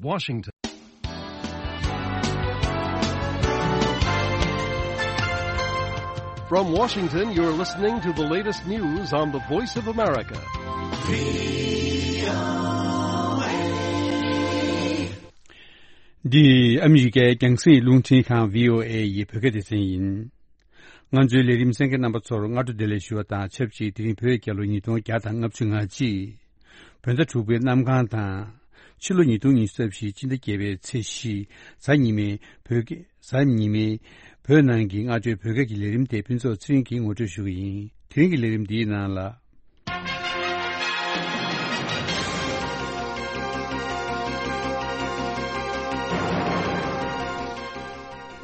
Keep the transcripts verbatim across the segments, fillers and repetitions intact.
Washington. From Washington, you're listening to the latest news on the Voice of America. འདི་ཨ་མི་རི་ཀའི་རྒྱང་སྲིང་རླུང་འཕྲིན་ཁང་བྷི་ཨོ་ཨེ་ཡི་བོད་སྐད་སྡེ་ཚན་ཡིན། ང་ཚོའི་ལས་རིམ་གསན་མཁན་རྣམ་པ་ཚོར་སྔ་དྲོ་བདེ་ལེགས་ཞུ་བ་དང་ཆབས་ཅིག་དེ་རིང་བོད་རྒྱལ་ལོ་ཉིས་སྟོང་བརྒྱ་དང་ལྔ་བཅུ་ང་གཅིག་བོད་ཟླ་དྲུག་པའི་གནམ་གང་དང་། ཕྱི་ལོ་ཉིས་སྟོང་ཉི་ཤུ་རྩ་བཞི་སྤྱི་ཟླ་བརྒྱད་པའི་ཚེས་བཞི། གཟའ་ཉི་མའི་བོད་སྐད། གཟའ་ཉི་མའི་བོད་ནང་གི་སྔ་དྲོའི་བོད་སྐད་ཀྱི་ལས་རིམ་དེ་ཕུན་ཚོགས་ཚེ་རིང་གིས་ངོ་སྤྲོད་ཞུ་གི་ཡིན། དེ་རིང་གི་ལས་རིམ་འདིའི་ནང་ལ།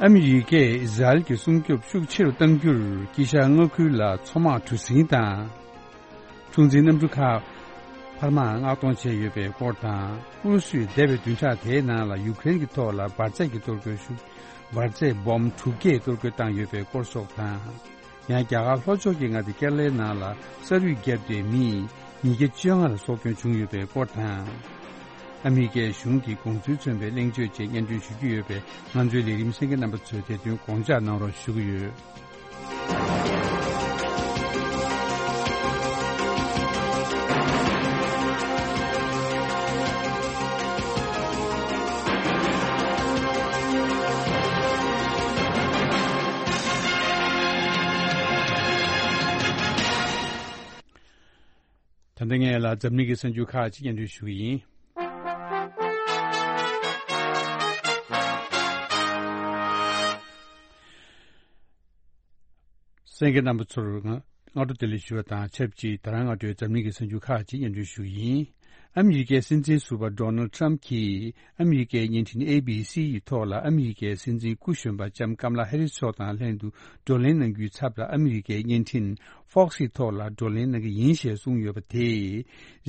ཨ་མི་རི་ཀས་ཨི་ཟ་རེལ་གྱི་སྲུང་སྐྱོབ་ཤུགས་ཆེ་རུ་གཏང་རྒྱུར་དཀྱིལ་ཤར་མངའ་ཁུལ་ལ་མཚོ་དམག་གྲུ་གཟིངས་དང་། འཁྲུག་འཛིང་གནམ་གྲུ་ཁག་འཕར་མ་མངགས་གཏོང་བྱས་ཡོད་པའི་སྐོར་དང་། ཨུ་རུ་སུས་འདས་པའི་བདུན་ཕྲག་དེའི་ནང་ལ་ཡུ་ཀེ་རེན་གྱི་ཐོག་ལ་འབར་རྫས་ཀྱི་གཏོར་རྒོལ་ཤུགས། འབར་རྫས་སྦོམ་དྲུག་བརྒྱས་གཏོར་རྒོལ་བཏང་ཡོད་པའི་སྐོར་སོགས་དང་། ཡང་རྒྱ་གར་ལྷོ་ཕྱོགས་ཀྱི་མངའ་སྡེ་ཀེ་ར་ལའི་ནང་ལ་ས་རུད་བརྒྱབ་སྟེ་མི་ཉིས་བརྒྱ་བཅོ་ལྔ་ལ་སྲོག་སྐྱོན་བྱུང་ཡོད་པའི་སྐོར་དང་། ཨ་མི་རི་ཀའི་གཞུང་གི་དགོངས་ཚུལ་མཚོན་པའི་གླེང་བརྗོད་བཅས་སྙན་སྒྲོན་ཞུ་རྒྱུ་ཡོད་པས། ང་ཚོའི་ལས་རིམ་གསན་མཁན་རྣམ་པ་ཚོས་དེ་དོན་དགོངས་འཇགས་གནང་རོགས་ཞུ་གི་ཡོད། ད་ལྟ་ངས་ལ་འཛམ་གླིང་གི་གསར་འགྱུར་ཁག་ཅིག་སྙན་སྒྲོན་ཞུ་གི་ཡིན། གསན་མཁན་རྣམ་པ་ཚོར་ང་སྔ་དྲོ་བདེ་ལེགས་ཞུ་བ་དང་ཆབས་ཅིག་ད་རང་སྔ་དྲོའི་འཛམ་གླིང་གི་གསར་འགྱུར་ཁག་ཅིག་སྙན་སྒྲོན་ཞུ་གི་ཡིན། ཨ་མི་རི་ཀའི་སྲིད་འཛིན་ཟུར་པ་ཌོ་ནལ་ཌི་ཊརམ་གྱིས་ཨ་མི་རི་ཀའི་བརྙན་འཕྲིན་ཨེ་བི་སི་ཡི་ཐོག་ལ་ཨ་མི་རི་ཀའི་སྲིད་འཛིན་སྐུ་གཞོན་པ་ལྕམ་ཀམ་ལ་ཧེ་རིས་མཆོག་དང་ལྷན་དུ་བགྲོ་གླེང་གནང་རྒྱུའི་ཚབ་ལ་ཨ་མི་རི་ཀའི་བརྙན་འཕྲིན་ཕོག་སི་ཐོག་ལ་བགྲོ་གླེང་གནང་གི་ཡིན་ཞེས་གསུངས་ཡོད་པ་དེས།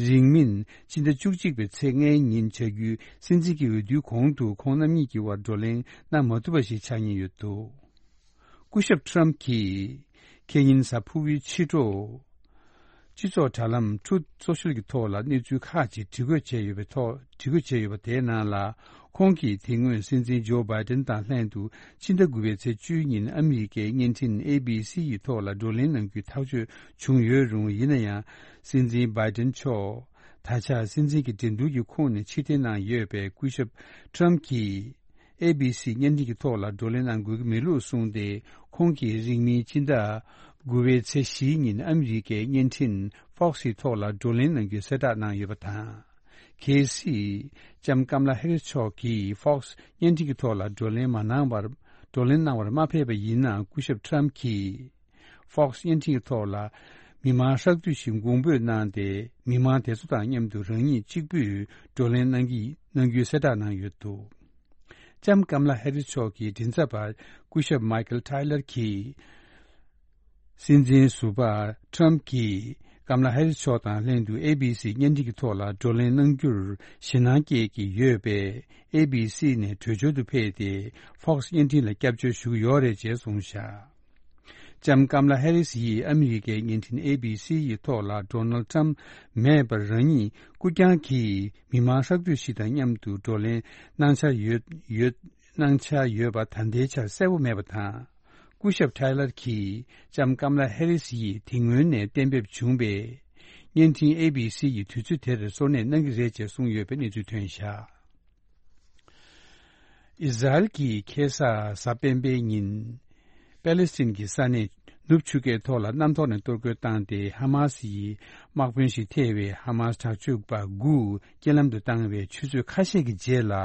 རིང་མིན་སྤྱི་ཟླ་བཅུ་གཅིག་པའི་ཚེས་ལྔའི་ཉིན་བྱ་རྒྱུའི་སྲིད་འཛིན་གྱི་འོས་བསྡུའི་གོང་དུ་ཁོང་རྣམ་གཉིས་ཀྱི་དབར་བགྲོ་གླེང་གནང་མ་ཐུབ་པ་ཞིག་ཆགས་ཉེན་ཡོད་འདུག་སྐུ་ཞབས་ཊརམ་གྱིས་ཁེ་ཉིན་གཟའ་ཕུར་བུའི་ཕྱི་དྲོ། སྤྱི་ཚོགས་དྲ་ལམ་Truth Social་གྱི་ཐོག་ལ་གནས་ཚུལ་ཁག་ཅིག་བྲིས་འགོད་བྱས་ཡོད་པའི་ཐོག་བྲིས་འགོད་བྱས་ཡོད་པ་དེའི་ནང་ལ། ཁོང་གིས་དེ་སྔོན་སྲིད་འཛིན་ཇོ་བྷའི་ཏིན་དང་ལྷན་དུ་ཕྱི་ཟླ་དགུ་པའི་ཚེས་བཅུའི་ཉིན་ཨ་མི་རི་ཀའི་བརྙན་འཕྲིན་ཨེ་བི་སི་ཡི་ཐོག་ལ་བགྲོ་གླེང་གནང་རྒྱུའི་ཐག་གཅོད་བྱུང་ཡོད་རུང་། ཡིན་ན་ཡང་སྲིད་འཛིན་བྷའི་ཏིན་མཆོག་ད་ཆ་སྲིད་འཛིན་གྱི་འགྲན་བསྡུར་གྱི་ཁོངས་ནས་ཕྱིར་འཐེན་གནང་ཡོད་པས། སྐུ་ཞབས་ཊརམ་གྱིས། ཨེ་བི་སི་བརྙན་འཕྲིན་གྱི་ཐོག་ལ་བགྲོ་གླེང་གནང་དགོས་ཀྱི་མེད་ལུགས་གསུངས་ཏེ། ཁོང་གིས་རིང་མིན་ཕྱི་ཟླ་དགུ་པའི་ཚེས་བཞིའི་ཉིན་ཨ་མི་རི་ཀའི་བརྙན་འཕྲིན་ཕོག་སི་ཐོག་ལ་བགྲོ་གླེང་གནང་རྒྱུའི་གསལ་བསྒྲགས་གནང་ཡོད་པ་དང་། གལ་སྲིད་ལྕམ་ཀམ་ལ་ཧེ་རིས་མཆོག་གིས་ཕོག་སི་བརྙན་འཕྲིན་གྱི་ཐོག་ལ་བགྲོ་གླེང་མ་གནང་བར། བགྲོ་གླེང་གནང་བར་མ་ཕེབས་པ་ཡིན་ན། སྐུ་ཞབས་ཊརམ་གྱིས་ཕོག་སི་བརྙན་འཕྲིན་གྱི་ཐོག་ལ་མི་མང་ཧྲག་བསྡུས་ཤིག་དགོངས་འབོད་གནང་སྟེ། མི་མང་དེ་ཚོ་དང་མཉམ་དུ་རང་ཉིད་གཅིག་པུས་བགྲོ་གླེང་གནང་གི་གནང་རྒྱུའི་གསལ་བསྒྲགས་གནང་ཡོད་འདུག་ལྕམ་ཀམ་ལ་ཧེ་རིས་མཆོག་གི་མགྲིན་ཚབ་པ་སྐུ་ཞབས་མའི་ཀལ་ཊའི་ལར་གྱིས། སྲིད་འཛིན་ཟུར་པ་ཊརམ་གྱིས་ཀམ་ལ་ཧེ་རིས་མཆོག་དང་ལྷན་དུ་ཨེ་བི་སི་བརྙན་འཕྲིན་གྱི་ཐོག་ལ་བགྲོ་གླེང་གནང་རྒྱུར་ཞེད་སྣང་སྐྱེས་ཀྱི་ཡོད་པས། ཨེ་བི་སི་ནས་བྲོས་བྱོལ་དུ་ཕེབས་ཏེ། ཕོག་སི་བརྙན་འཕྲིན་ལ་སྐྱབས་བཅོལ་ཞུ་གི་ཡོད་རེད་ཅེས་གསུངས་བཞག་ལྕམ་ཀམ་ལ་ཧེ་རིས་ཡིས་ཨ་མི་རི་ཀའི་བརྙན་འཕྲིན་ཨེ་བི་སི་ཡི་ཐོག་ལ་ཌོ་ནལ་ཊརམ་མེད་པར་རང་ཉིད་སྐུ་རྐྱང་གིས་མི་མང་ཧྲག་བསྡུས་ཤིག་དང་མཉམ་དུ་བགྲོ་གླེང་གནང་འཆར་ཡོད་ཡོད་གནང་འཆར་ཡོད་པ་ད་ལྟའི་ཆར་གསལ་པོ་མེད་པ་དང་། སྐུ་ཞབས་ཊའི་ལར་གྱིས་ལྕམ་ཀམ་ལ་ཧེ་རིས་ཡིས་དེ་སྔོན་ནས་གཏན་འབེབས་བྱུང་བའི་བརྙན་འཕྲིན་ཨེ་བི་སི་ཡི་དུས་ཚོད་དེར་གསོལ་གནས་གནང་གི་རེད་ཅེས་གསུངས་ཡོད་པའི་གནས་ཚུལ་ཐོན་བཞག་ཨི་ཟ་རེལ་གྱིས་ཁ་སང་གཟའ་སྤེན་པའི་ཉིན། པེ་ལེ་སི་ཐན་གྱི་ས་གནས་ནུབ་ཆུ་ཁའི་ཐོག་ལ་གནམ་ཐོག་ནས་གཏོར་རྒོལ་བཏང་སྟེ། ཧ་མ་སི་ཡི་དམག་དཔོན་ཞིག་ཐེ་བའི་ཧ་མ་སི་དྲག་སྤྱོད་པ་དགུ་རྐྱེན་ལམ་དུ་བཏང་བའི་ཆུ་ཚོད་ཁ་ཤས་ཀྱི་རྗེས་ལ།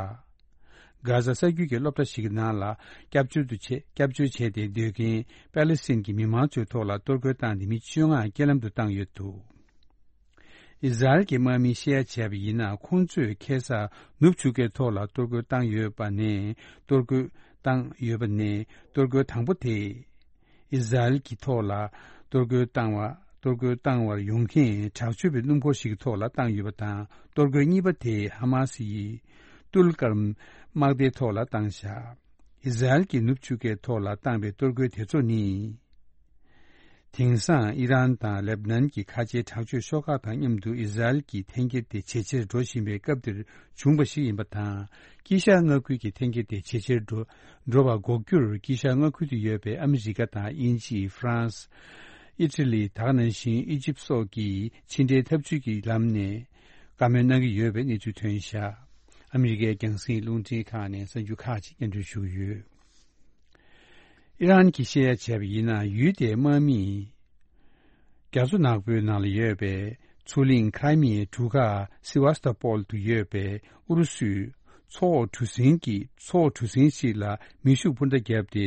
གྷ་ཟ་ས་རྒྱུད་ཀྱི་སློབ་གྲྭ་ཞིག་གི་ནང་ལ་སྐྱབས་བཅོལ་དུ་བྱས་སྐྱབས་བཅོལ་བྱས་ཏེ་སྡོད་མཁན་པེ་ལེ་སི་ཐན་གྱི་མི་མང་ཚོའི་ཐོག་ལ་གཏོར་རྒོལ་བཏང་སྟེ་མི་བཅོ་ལྔ་རྐྱེན་ལམ་དུ་བཏང་ཡོད་འདུག་ཨི་ཟ་རེལ་གྱི་དམག་མིས་བཤད་ཡ་བྱས་པ་ཡིན་ན། ཁོང་ཚོས་ཁ་སང་ནུབ་ཆུ་ཁའི་ཐོག་ལ་གཏོར་རྒོལ་བཏང་ཡོད་པ་ནས། གཏོར་རྒོལ་བཏང་ཡོད་པ་ནས། གཏོར་རྒོལ་དང་པོ་དེ་ཨི་ཟ་རེལ་གྱི་ཐོག་ལ་གཏོར་རྒོལ་བཏང་བ་གཏོར་རྒོལ་བཏང་བར་ཡོང་མཁན་དྲག་སྤྱོད་པའི་སྣུམ་འཁོར་ཞིག་གི་ཐོག་ལ་བཏང་ཡོད་པ་དང་། གཏོར་རྒོལ་གཉིས་པ་དེ་ཧ་མ་སི་ཡི་ཏུལ་ཀར་དམག་སྡེའི་ཐོག་ལ་བཏང་བཞག་ཨི་ཟ་རེལ་གྱིས་ནུབ་ཆུ་ཁའི་ཐོག་ལ་བཏང་བའི་གཏོར་རྒོལ་དེ་ཚོ་ནི། དེང་སང་ཨི་རན་དང་ལེབ་ནན་གྱི་ཁ་ཆེའི་དྲག་སྤྱོད་ཤོག་ཁག་དང་མཉམ་དུ་ཨི་ཟ་རེལ་གྱི་འཐེན་འཁྱེར་དེ་ཇེ་ཆེར་འགྲོ་བཞིན་པའི་སྐབས་འདིར་བྱུང་བ་ཞིག་ཡིན་པ་དང་། དཀྱིལ་ཤར་མངའ་ཁུལ་གྱི་འཐེན་འཁྱེར་དེ་ཇེ་ཆེར་འགྲོ་འགྲོ་བ་འགོག་རྒྱུར། དཀྱིལ་ཤར་མངའ་ཁུལ་དུ་ཡོད་པའི་ཨ་མི་རི་ཀ་དང་དབྱིན་ཇི། ཧྥ་རན་སི། ཨི་ཊ་ལི། ད་ག་ནང་བཞིན་ཨི་ཇིབ་སོགས་ཀྱིས་ཕྱི་འབྲེལ་འཐབ་ཇུས་ཀྱི་ལམ་ནས་བཀའ་མོལ་གནང་གི་ཡོད་པའི་གནས་ཚུལ་ཐོན་བཞག་ཨ་མི་རི་ཀའི་རྒྱང་སྲིང་རླུང་འཕྲིན་ཁང་ནས་གསར་འགྱུར་ཁག་ཅིག་སྙན་སྒྲོན་ཞུ་གི་ཡོད། ཨི་རན་གྱིས་བཤད་ཡ་བྱས་པ་ཡིན་ན། ཡུལ་དེའི་དམག་མིས་རྒྱ་མཚོ་ནག་པོའི་ནང་ལ་ཡོད་པའི་མཚོ་གླིང་ཁྲའི་མི་ཡའི་གྲུ་ཁ་སི་ཝ་སྟ་པོལ་དུ་ཡོད་པའི་ཨུ་རུ་སུའི་མཚོ་འོག་གྲུ་གཟིངས་ཀྱི་མཚོ་འོག་གྲུ་གཟིངས་ཤིག་ལ་མེ་ཤུགས་འཕུར་མདའ་བརྒྱབ་སྟེ།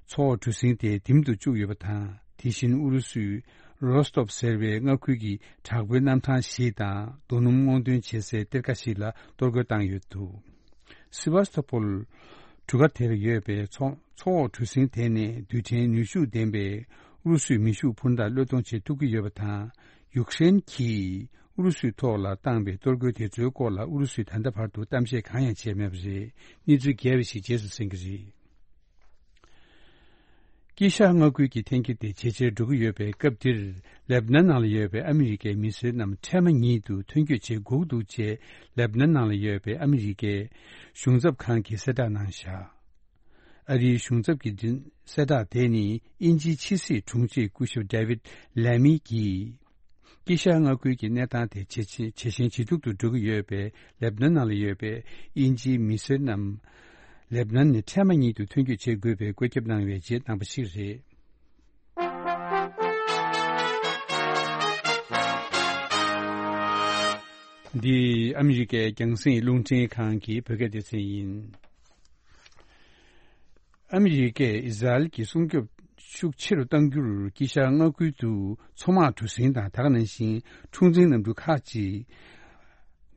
མཚོ་འོག་གྲུ་གཟིངས་དེ་འདེམས་དུ་བཅུག་ཡོད་པ་དང་། དེ་བཞིན་ཨུ་རུ་སུའི་རོ་སྟོབ་ཟེར་བའི་མངའ་ཁུལ་གྱི་དྲག་པོའི་གནམ་ཐང་ཞིག་དང་རྡོ་སྣུམ་སྔོག་འདོན་བྱེད་སའི་གཏེར་ཁ་ཞིག་ལ་གཏོར་རྒོལ་བཏང་ཡོད་འདུག་སི་ཝ་སྟ་པོལ་གྲུ་ཁ་དེར་ཡོད་པའི་མཚོ་མཚོ་འོག་གྲུ་གཟིངས་དེ་ནི་རྡུལ་ཕྲན་ནུས་ཤུགས་ལྡན་པའི་ཨུ་རུ་སུའི་མེ་ཤུགས་འཕུར་མདའ་གློད་གཏོང་བྱེད་ཐུབ་ཀྱི་ཡོད་པ་དང་། ཡུཀ་རེན་གྱིས་ཨུ་རུ་སུའི་ཐོག་ལ་བཏང་པའི་གཏོར་རྒོལ་དེ་ཚོའི་སྐོར་ལ་ཨུ་རུ་སུས་ད་ལྟ་བར་དུ་གཏམ་བཤད་གང་ཡང་བྱས་མེད་པ་རེད། གནས་ཚུལ་རྒྱས་པ་ཞིག་རྗེས་སུ་གསན་གྱི་རེད། དཀྱིལ་ཤར་མངའ་ཁུལ་གྱི་འཐེན་འཁྱེར་དེ་ཇེ་ཆེར་འགྲོ་གི་ཡོད་པའི་སྐབས་འདིར། ལེབ་ནན་ནང་ལ་ཡོད་པའི་ཨ་མི་རི་ཀའི་མི་སེར་རྣམས་འཕྲལ་མ་ཉིད་དུ་ཐོན་སྐྱོད་བྱེད་དགོས་འདུག་ཅེས་ལེབ་ནན་ནང་ལ་ཡོད་པའི་ཨ་མི་རི་ཀའི་གཞུང་ཚབ་ཁང་གིས་གསལ་བསྒྲགས་གནང་བཞག་ཨ་རིའི་གཞུང་ཚབ་ཀྱི་མགྲིན་གསལ་བསྒྲགས་དེ་ནི་དབྱིན་ཇིའི་ཕྱི་སྲིད་དྲུང་ཆེ་སྐུ་ཞབས་ཌེ་ཝིད་ལེ་མི་གིས། དཀྱིལ་ཤར་མངའ་ཁུལ་གྱི་གནས་སྟངས་དེ་ཇེ་ཆེ་ཇེ་ཞན་ཇེ་སྡུག་ཏུ་འགྲོ་གི་ཡོད་པས། ལེབ་ནན་ནང་ལ་ཡོད་པའི་དབྱིན་ཇིའི་མི་སེར་རྣམས་ལེབ་ནན་ནས་འཕྲལ་མ་ཉིད་དུ་ཐོན་སྐྱོད་བྱེད་དགོས་པའི་བཀོད་ཁྱབ་གནང་བའི་རྗེས་གནང་བ་ཞིག་རེད། འདི་ཨ་མི་རི་ཀའི་རྒྱང་སྲིང་རླུང་འཕྲིན་ཁང་གི་བོད་སྐད་སྡེ་ཚན་ཡིན། ཨ་མི་རི་ཀས་ཨི་ཟ་རེལ་གྱི་སྲུང་སྐྱོབ་ཤུགས་ཆེ་རུ་གཏང་རྒྱུར་དཀྱིལ་ཤར་མངའ་ཁུལ་དུ་མཚོ་དམག་གྲུ་གཟིངས་དང་། ད་ག་ནང་བཞིན་འཁྲུག་འཛིང་གནམ་གྲུ་ཁག་ཅིག་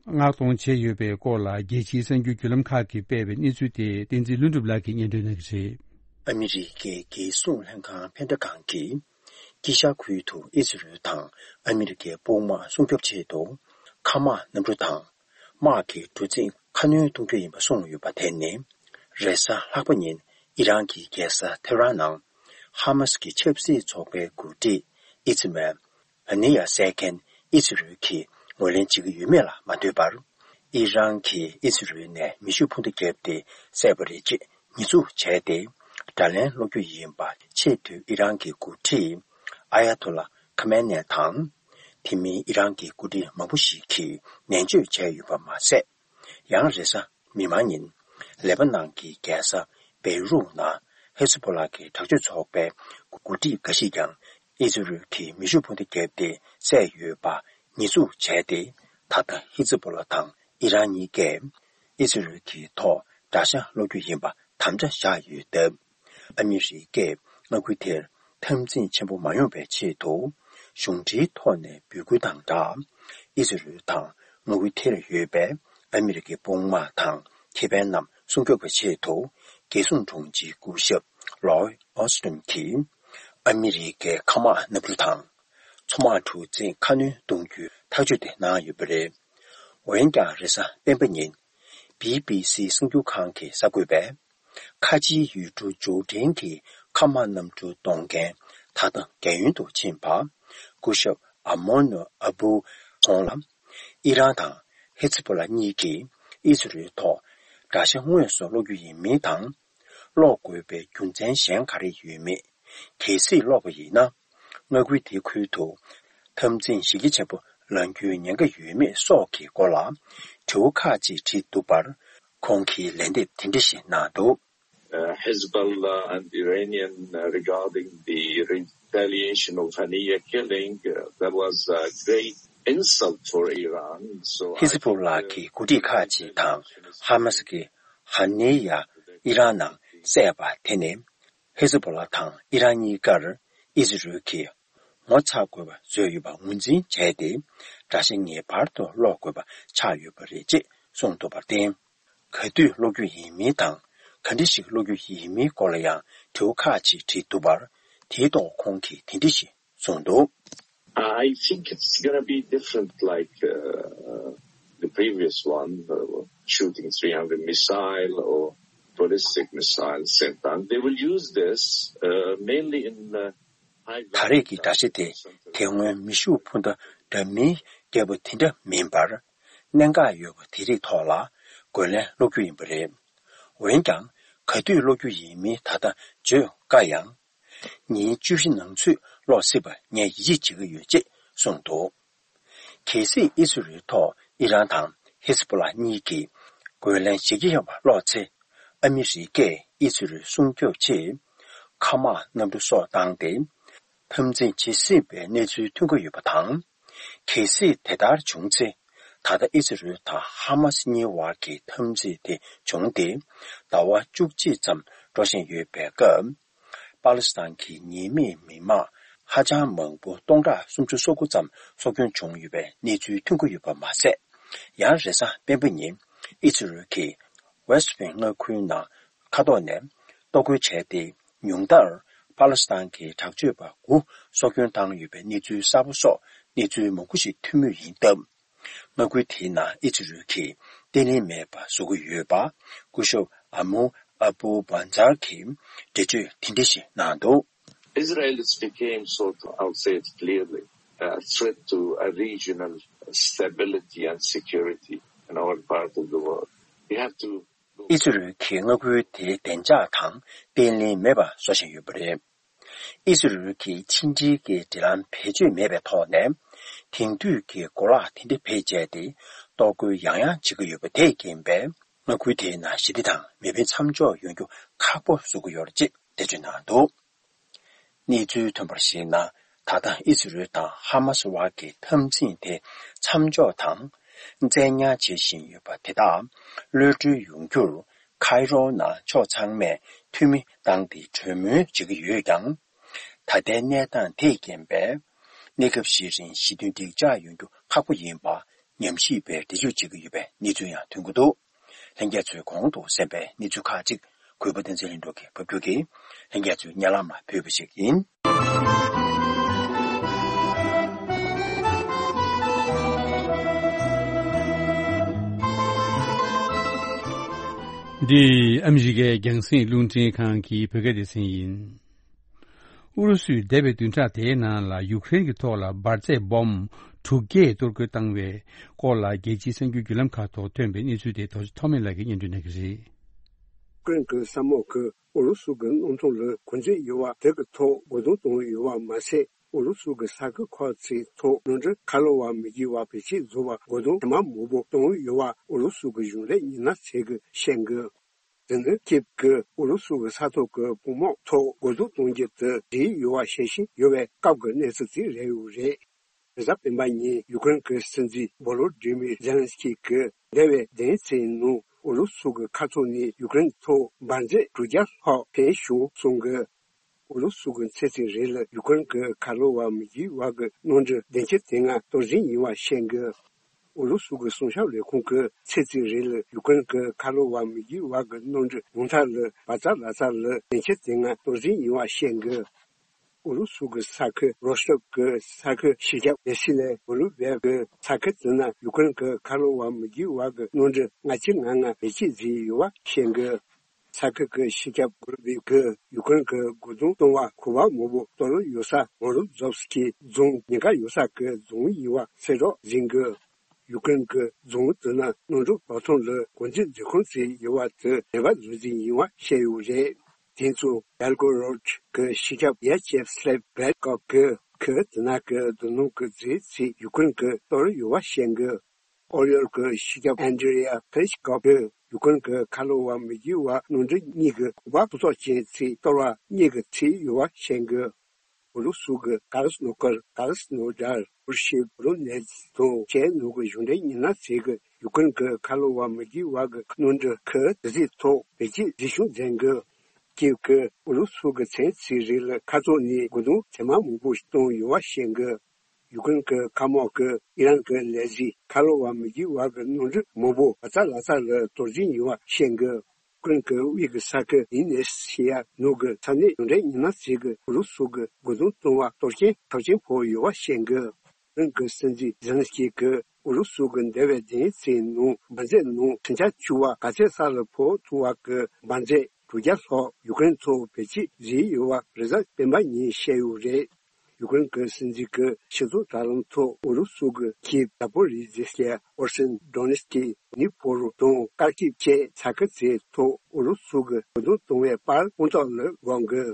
མངགས་གཏོང་བྱས་ཡོད་པའི་སྐོར་ལ། རྒྱལ་སྤྱིའི་གསར་འགྱུར་བརྒྱུད་ལམ་ཁག་གིས་སྤེལ་བའི་གནས་ཚུལ་དེ་བསྟན་འཛིན་ལྷུན་གྲུབ་ལགས་ཀྱིས་སྙན་སྒྲོན་གནང་གི་རེད། ཨ་མི་རི་ཀའི་རྒྱལ་སྲུང་ལྷན་ཁང་ཕན་བདེ་ཁང་གིས། དཀྱིལ་ཤར་ཁུལ་དུ་ཨི་ཛི་རལ་དང་ཨ་མི་རི་ཀའི་དཔུང་དམག་སྲུང་སྐྱོབ་ཆེད་དུ། མཁའ་དམག་གནམ་གྲུ་དང་། དམག་གི་གྲུ་གཟིངས་ཁ་སྣོན་གཏོང་རྒྱུ་ཡིན་པ་གསུངས་ཡོད་པ་དེ་ནི། རེས་གཟའ་ལྷག་པ་ཉིན་ཨི་རན་གྱི་རྒྱལ་ས་ཐེ་རན་ནང་ཧ་མ་སི་ཀྱི་ཆབ་སྲིད་ཚོགས་པའི་འགོ་ཁྲིད་ཨི་ཛི་མན་ཧ་ནི་ཡ་བསད་མཁན་ཨི་ཛི་རལ་གྱིས་ངོས་ལེན་བྱེད་ཀྱི་ཡོད་མེད་ལ་མ་ལྟོས་པར། ཨི་རན་གྱིས་ཨི་ཛི་རལ་ནས་མེ་ཤུགས་འཕུར་མདའ་བརྒྱབ་སྟེ་བསད་པ་རེད་ཅེས་ཉེས་འཛུགས་བྱས་ཏེ། དགྲ་ལན་སློག་རྒྱུ་ཡིན་པ། ཆེས་མཐོའི་ཨི་རན་གྱི་འགོ་ཁྲིད་ཨ་ཡ་ཐོ་ལ་ཁ་མེ་ནེ་དང་། དེ་མིན་ཨི་རན་གྱི་འགོ་ཁྲིད་མང་པོ་ཞིག་གིས་ནན་བརྗོད་བྱས་ཡོད་པ་མ་ཟད། ཡང་རེས་གཟའ་མིག་དམར་ཉིན། ལེ་པ་ནན་གྱི་རྒྱལ་ས་བེ་རུ་ནང་ཧེ་ཛི་པོ་ལ་གི་དྲག་སྤྱོད་ཚོགས་པའི་འགོ་ཁྲིད་འགའ་ཞིག་ཀྱང་ཨི་ཛི་རལ་གྱིས་མེ་ཤུགས་འཕུར་མདའ་བརྒྱབ་སྟེ་བསད་ཡོད་པ་ཉེས་འཛུགས་བྱས་ཏེ། ད་ལྟ་ཧེ་ཛི་པོ་ལ་དང་ཨི་རན་གཉིས་ཀས་ཨི་ཛི་རལ་གྱི་ཐོག་དགྲ་ཤ་སློག་རྒྱུ་ཡིན་པ་དམ་བཅའ་བཞག་ཡོད་སྟབས། ཨ་མི་རི་ཀས་མངའ་ཁུལ་དེར་འཐབ་འཛིང་ཆེན་པོ་མ་ཡོང་བའི་ཆེད་དུ། གཞུང་འབྲེལ་ཐོག་ནས་འབོད་སྐུལ་དང་སྦྲགས། ཨི་ཛི་རལ་དང་མངའ་ཁུལ་དེར་ཡོད་པའི་ཨ་མི་རི་ཀའི་དཔུང་དམག་དང་ཁེ་ཕན་རྣམས་སྲུང་སྐྱོབ་པའི་ཆེད་དུ། རྒྱལ་སྲུང་དྲུང་ཆེ་སྐུ་ཞབས་ལོའི་ཨོ་སི་ཊིན་གྱིས་ཨ་མི་རི་ཀའི་མཁའ་དམག་གནམ་གྲུ་དང་མཚོ་དམག་གྲུ་གཟིངས་ཁ་སྣོན་གཏོང་རྒྱུའི་ཐག་གཅོད་དེ་གནང་ཡོད་པ་རེད། འོན་ཀྱང་། རེས་གཟའ་སྤེན་པ་ཉིན། བི་བི་སི་གསར་འགྱུར་ཁང་གི་གསར་འགོད་པས། ཁ་ཆེའི་ཡུལ་གྲུ་ཇོར་ཌན་གྱི་མཁའ་དམག་གནམ་གྲུ་གཏོང་མཁན་ད་ལྟ་རྒན་ཡོལ་དུ་ཕྱིན་པ། སྐུ་ཞབས་ཨ་མོ་ནོ་ཨ་བུ་ཁོང་ལ། ཨི་རན་དང་ཧེ་ཛི་པོ་ལ་གཉིས་ཀྱིས་ཨི་ཛི་རལ་ཐོག་དགྲ་ཤ་དངོས་སུ་སློག་རྒྱུ་ཡིན་མིན་དང་། སློག་དགོས་པའི་རྒྱུ་མཚན་གཞན་ག་རེ་ཡོད་མེད། གལ་སྲིད་སློག་པ་ཡིན་ན། མངའ་ཁུལ་དེའི་ཁུལ་དུ་འཐབ་འཛིང་གཞི་རྒྱ་ཆེན་པོ་ལངས་རྒྱུའི་ཉེན་ཁ་ཡོད་མེད་སོགས་ཀྱི་སྐོར་ལ་དྲི་བ་ཁག་ཅིག་དྲིས་འདུག་པར། ཁོང་གིས་ལན་འདེབས་དེ་འདྲ་ཞིག་གནང་འདུག། Uh, Hezbollah and Iranian, uh, regarding the retaliation of Haniyeh killing, uh, that was a great insult for Iran. So I think, uh, ཧེ་ཛི་པོ་ལ་གི་འགོ་ཁྲིད་ཁག་ཅིག་དང་ཧ་མ་སི་གི་ཧ་ནི་ཡ་ཨི་རན་ནང་བསད་པ་དེ་ནི། ཧེ་ཛི་པོ་ལ་དང་ཨི་རན་གཉིས་ཀར་ཨི་ཛི་རལ་གྱིས་ངོ་ཚ་དགོས་པ་བཟོས་ཡོད་པ་ངོས་འཛིན་བྱས་ཏེ། དགྲ་ཤ་ངེས་པར་དུ་སློག་དགོས་པ་ཆགས་ཡོད་པ་རེད་ཅེས་གསུངས་འདུག་པར་བརྟེན། ག་དུས་སློག་རྒྱུ་ཡིན་མིན་དང་། ག་འདྲ་ཞིག་སློག་རྒྱུ་ཡིན་མིན་སྐོར་ལ་ཡང་དྲི་བ་ཁག་ཅིག་དྲིས་འདུག་པར། དེའི་ཐོག་ཁོང་གིས་དེ་འདྲ་ཞིག་གསུངས་འདུག། I think it's gonna be different, like, uh, the previous one, uh, shooting three hundred missile or ballistic missile same time. They will use this, uh, mainly in, uh, ད་རེས་ཀྱི་དགྲ་ཤ་དེ་དེ་སྔོན་མེ་ཤུགས་འཕུར་མདའ་འདྲ་མིན་རྒྱག་པ་དེ་འདྲ་མིན་པར། གནད་འགག་ཡོད་པ་དེ་རིགས་ཐོག་ལ་རྒོལ་ལན་སློག་རྒྱུ་ཡིན་པ་རེད། འོན་ཀྱང་། ག་དུས་སློག་རྒྱུ་ཡིན་མིན་ད་ལྟ་བརྗོད་དཀའ་ཡང་། ཉིན་བཅུ་བཞི་ནང་ཚུད་སློག་སྲིད་པ་ངས་ཡིད་ཆེས་བྱེད་ཀྱི་ཡོད་ཅེས་གསུངས་འདུག་གལ་སྲིད་ཨི་སི་རེལ་ཐོག་ཨི་རན་དང་ཧི་ཟ་བྷོ་ལ་གཉིས་ཀྱིས་རྒོལ་ལན་ཞེ་གི་ཡང་བ་སློག་ཚེ། ཨ་མི་རི་ཀས་ཨི་སི་རེལ་སྲུང་སྐྱོབ་ཆེད། མཁའ་དམག་གནམ་གྲུ་སོགས་བཏང་སྟེ། འཐབ་འཛིང་བྱེད་སྲིད་པའི་གནས་ཚུལ་ཐོན་གྱི་ཡོད་པ་དང་། གལ་སྲིད་དེ་ལྟར་བྱུང་ཚེ། ད་ལྟ་ཨི་སི་རེལ་དང་ཧ་མ་སི་གཉིས་བར་གྱི་འཐབ་འཛིང་དེ་བྱུང་སྟེ། ཟླ་བ་བཅུ་གཅིག་ཙམ་འགྲོ་བཞིན་ཡོད་པའི་སྐབས། པ་ལི་སི་ཐན་གྱི་ཉེས་མེད་མི་མང་ཧ་ཅང་མང་པོ་སྟོང་ཕྲག་སུམ་ཅུ་སོ་དགུ་ཙམ་སྲོག་སྐྱོན་བྱུང་ཡོད་པའི་གནས་ཚུལ་ཐོན་གྱི་ཡོད་པ་མ་ཟད། ཡང་རེས་གཟའ་སྤེན་པ་ཉིན་ཨི་སི་རེལ་གྱིས་ཝེ་སི་ཊི་བྷེང་མངའ་ཁུལ་ནང་མཁའ་ཐོག་ནས་གཏོར་རྒོལ་བྱས་ཏེ། ཉུང་མཐར་པ་ལི་སི་ཐན་གྱི་དྲག་སྤྱོད་པ་དགུ་སྲོག་སྐྱོན་བཏང་ཡོད་པའི་གནས་ཚུལ་གསར་པ་སོགས་གནས་ཚུལ་མང་པོ་ཞིག་ཐོན་མུས་ཡིན་སྟབས། མངའ་ཁུལ་དེའི་ནང་ཨི་སི་རེལ་གྱིས་བརྟན་ལྷིང་མེད་པ་བཟོ་གི་ཡོད་པ། སྐུ་ཞབས་ཨ་མུ་ཨ་བུ་བྷན་ཛར་གྱིས་འགྲེལ་བརྗོད་དེ་འདྲ་ཞིག་གནང་འདུག Israel has became sort of, I would say it clearly, a threat to a regional stability and security in our part of the world. We have to ཨི་སི་རེལ་གྱིས་མངའ་ཁུལ་དེའི་བདེ་འཇགས་དང་བརྟན་ལྷིང་མེད་པ་བཟོ་བཞིན་ཡོད་པ་རེད། ཨི་སི་རེལ་གྱིས་ཕྱི་འབྲེལ་གྱི་འབྲེལ་ལམ་བེད་སྤྱོད་མེད་པའི་ཐོག་ནས། དེང་དུས་ཀྱི་གོ་ལག་དེ་འདྲ་བེད་སྤྱད་དེ། གཏོར་རྒོལ་ཡང་ཡང་བྱེད་ཀྱི་ཡོད་པ་དེས་རྐྱེན་པས། མངའ་ཁུལ་དེའི་ནང་ཞི་བདེ་དང་མི་ཕན་མཚམས་འཇོག་ཡོང་རྒྱུ་ཁག་པོ་བཟོ་གི་ཡོད་རེད་ཅེས་འགྲེལ་བརྗོད་གནང་འདུག་གནས་ཚུལ་ཐོན་པར་གཞིགས་ན། ད་ལྟ་ཨི་སི་རེལ་དང་ཧ་མ་སི་བར་གྱི་འཐབ་འཛིང་དེ་མཚམས་འཇོག་དང་། བཙན་ཉར་བྱེད་བཞིན་ཡོད་པ་དེ་དག་གློད་གྲོལ་ཡོང་རྒྱུར། ཁའི་རོ་ནང་ཕྱོགས་ཚང་མས་འཐུས་མི་བཏང་སྟེ་གྲོས་མོལ་བྱེད་ཀྱི་ཡོད་ཀྱང་། ད་ལྟའི་གནས་སྟངས་དེས་རྐྱེན་པས། གནས་སྐབས་ཤིག་རིང་ཞི་མཐུན་འགྲིག་འཇགས་ཡོང་རྒྱུ་ཁག་པོ་ཡིན་པ་ཉམས་ཞིབ་པས་འགྲེལ་བརྗོད་བྱེད་ཀྱི་ཡོད་པའི་གནས་ཚུལ་ཡང་ཐོན་གྱི་འདུག་ལྷན་རྒྱས་ཚོས་གོང་དུ་གསན་པའི་གནས་ཚུལ་ཁག་ཅིག་གུས་པ་བསྟན་འཛིན་ལྷུན་གྲུབ་ཀྱིས་ཕབ་སྒྱུར་གྱིས་ལྷན་རྒྱས་ཚོའི་སྙན་ལམ་ལ་ཕུལ་བ་ཞིག་ཡིན། འདི་ཨ་མི་རི་ཀའི་རྒྱང་སྲིང་རླུང་འཕྲིན་ཁང་གི་བོད་སྐད་སྡེ་ཚན་ཡིན། ཨུ་རུ་སུས་འདས་པའི་བདུན་ཕྲག་དེའི་ནང་ལ་ཡུཀ་རེན་གྱི་ཐོག་ལ་འབར་རྫས་སྦོམ་དྲུག་བརྒྱས་གཏོར་རྒོལ་བཏང་བའི་སྐོར་ལ་རྒྱལ་སྤྱིའི་གསར་འགྱུར་བརྒྱུད་ལམ་ཁག་ཐོག་ཐོན་པའི་གནས་ཚུལ་དེ་རྡོ་རྗེ་ཐོགས་མེད་ལགས་ཀྱིས་སྙན་སྒྲོན་གནང་གི་རེད། ཡུཀ་རེན་གྱི་ས་དམག་གིས་ཨུ་རུ་སུ་གྱི་གནམ་ཐང་ལ་འགོ་འཛིན་ཡོད་པ་དེ་གི་ཐོག་རྒོལ་རྡུང་བཏང་ཡོད་པ་མ་ཟད། ཨུ་རུ་སུ་གྱི་ས་ཁུལ་ཁག་ཅིག་ཐོག་གནམ་གྲུ་ཁ་ལོ་བ་མི་བརྒྱུད་པ་བེད་སྤྱོད་བཟོ་བར་རྒོལ་རྡུང་ཇེ་མང་དུ་བཏང་ཡོད་པ་ཨུ་རུ་སུ་གྱི་གཞུང་འབྲེལ་མི་སྣ་ཚོས་བཤད་འདུག་དེ་ནི་ཀིབ་ཀྱིས་ཨུ་རུ་སུ་གྱི་ས་ཐོག་གི་དཔུང་དམག་ཐོག་རྒོལ་རྡུང་གཏོང་རྒྱུ་དེ་བརྗེད་ཡོད་པ་ཤེས་བཞིན་ཡོད་པའི་སྐབས་ཀྱི་གནས་ཚུལ་ཅིག་རེད་ཡོད་རེད། རེས་གཟའ་སྤེན་པ་ཉིན་ཡུཀ་རེན་གྱི་སྲིད་འཛིན་བོ་ལོ་ཌི་མིར་ཛེ་ལན་སི་ཀི་གིས་འདས་པའི་བདུན་ཕྲག་ནང་ཨུ་རུ་སུ་གྱི་མཁའ་ཐོག་ནས་ཡུཀ་རེན་ཐོག་འབར་རྫས་དྲུག་བརྒྱ་ལྷག་འཕེན་བྱུང་གསུངས་འདུག་ཨུ་རུ་སུ་གྱིས་ཚེས་གཅིག་རེས་ལ་ཡུཀ་རེན་གྱི་ཁ་ལོ་བ་མི་བརྒྱུད་པ་གི་གནམ་གྲུ་བདུན་ཅུ་དོན་ལྔ་གཏོར་བཅོམ་ཡིན་པ་བཤད་འདུག་ཨུ་རུ་སུ་གི་སྲུང་སྐྱོབ་ལས་ཁུངས་ཀྱིས་ཚེས་གཅིག་རེས་ལ་ཡུཀ་རེན་གྱི་ཁ་ལོ་བ་མི་བརྒྱུད་པ་གི་གནམ་གྲུ་ཉུང་མཐའ་ལ་བ་ཙ་ལ་ཙ་ལ་བདུན་ཅུ་དོན་ལྔ་གཏོར་བཅོམ་ཡིན་པ་བཤད་འདུག་ཨུ་རུ་སུ་གི་ས་ཁུལ་རོ་སྟོབ་ཀྱི་ས་ཁུལ་སྤྱི་ཁྱབ་ལས་གཞི་ལས་ཨུ་རུ་སྦེལ་གྱི་ས་ཁུལ་དེ་ན་ཡུཀ་རེན་གྱི་ཁ་ལོ་བ་མི་བརྒྱུད་པ་གི་གནམ་གྲུ་ལྔ་བཅུ་ང་ལྔ་བེད་སྤྱོད་བྱས་ཡོད་པ་བཤད་འདུག་ས་ཁུལ་གྱི་སྤྱི་ཁྱབ་གུ་རུ་བི་གིས་ཡུཀ་རེན་གྱི་རྒོལ་རྡུང་གཏོང་བ་གོ་བ་མང་པོ་གཏོར་ཡོད་ས་མོ་རོ་ཛོབ་སི་ཀི་རྫོང་ཉེན་ཁ་ཡོད་ས་ཀྱི་རྫོང་ཡིན་པ་གསལ་བསྒྲགས་བྱས་འདུག་ཡུཀ་རེན་གྱི་རྫོང་དེ་ན་གནམ་གྲུ་བབས་ཐོན་ལ་འགོ་འཛིན་འཛིན་ཁང་ཅིག་ཡོད་པ་དེ་ནད་པ་བཟོ་རྩིས་ཡིན་པ་བཤད་ཡོད་རེད། དེ་ཚོ་བེལ་གོ་རོད་ཀྱི་སྤྱི་ཁྱབ་ཡ་ཅེབ་སླེབ་བེལ་ཀོབ་ཀྱིས་ཁོས་དེ་ན་གི་རྡོ་སྣུམ་གྱི་རྫས་ཚོ་ཡུཀ་རེན་གྱིས་གཏོར་ཡོད་པ་བཤད་འདུག་ཨོ་ཡོལ་གྱི་སྤྱི་ཁྱབ་ཨན་ཌྲི་ཡ་ཕེ་རི་ཤི་ཀོབ་ཀྱིས་ཡུཀ་རེན་གྱི་ཁ་ལོ་བ་མི་བརྒྱུད་པ་གནམ་གྲུ་གཉིས་ཀྱི་གོ་པ་ཕུན་ཚོགས་ཅན་ཚོ་གཏོར་བ་གཉིས་ཀྱིས་ཁྲིད་ཡོད་པ་བཤད་འདུག་ཨུ་རུ་སུ་གི་ཀ་ར་སི་ནོ་ཀར། ཀ་ར་སི་ནོ་ཌར། པུར་ཤི། བོ་རོ་ནེ་ཛི་དང་ཅེ་ནོ་གི་གཞུང་འབྲེལ་མི་སྣ་ཚོས་ཀྱིས་ཡུཀ་རེན་གྱི་ཁ་ལོ་བ་མི་བརྒྱུད་པ་གི་གནམ་གྲུ་ཁག་དེ་ཚོའི་ཐོག་བེད་སྤྱོད་བྱེད་ཤུགས་འཛིན་གྱི། ཀིབ་ཀྱིས་ཨུ་རུ་སུ་གི་མཚན་ཚིག་རིགས་ལ་ཁ་ཐོག་ནས་རྒོལ་རྡུང་ཇེ་མང་མང་པོ་གཏོང་ཡོད་པ་བཤད་གི། ཡུཀ་རེན་གྱི་མཁའ་དམག་གིས་ཨི་རན་གྱི་ལས་གཞི་ཁ་ལོ་བ་མི་བརྒྱུད་པ་གི་གནམ་གྲུ་མང་པོ་ཨ་ཙ་ལ་ཙ་ལ་གཏོར་བཅོམ་ཡོད་པ་བཤད་གི། ཡུཀ་རེན་གྱི་དབུས་ཀྱི་ས་ཁུལ་ཨི་ནེ་སི་ཡ་ནུབ་ཀྱི་ས་གནས་གཞུང་འབྲེལ་མི་སྣ་ཚོས་ཀྱིས་ཨུ་རུ་སུ་གི་རྒོལ་རྡུང་གཏོང་བ་གཏོར་སྐྱོན་ཚབས་ཆེན་ཕོག་ཡོད་པ་བཤད་གི། ཡུཀ་རེན་གྱི་སྲིད་འཛིན་ཛེ་ལན་སི་ཀི་གིས་ཨུ་རུ་སུ་གི་འདས་པའི་བདུན་ཕྲག་ནང་འབར་རྫས་ནང་ཁྲིམས་འཆར་བཅུ་པ་ག་ཚད་ས་ལ་ཕོག་ཐུབ་པ་གི་འབར་རྫས་དྲུག་བརྒྱ་ལྷག་ཡུཀ་རེན་ཐོག་བེད་སྤྱོད་བྱས་ཡོད་པ་རེས་གཟའ་སྤེན་པ་ཉིན་བཤད་ཡོད་རེད། ཡུ་ཀེ་རེན་གྱི་སྲིད་འཛིན་གྱིས་ཆེད་དོན་དྲ་ལམ་ཐོག་ཨུ་རུ་སུ་གྱི་ཁིབ། ཛ་པོ་རི་ཟི་ཤི་ཡ། ཧེར་སོན། ཌོ་ནེ་སི་ཀི། ནི་ཕོ་རོ་དང་ཀར་ཀིབ་བཅས་ས་ཁུལ་དེའི་ཐོག་ཨུ་རུ་སུ་གྱིས་རྒོལ་རྡུང་བཏང་བའི་པར་དཔང་རྟགས་ལ་དགོངས་ཀྱི།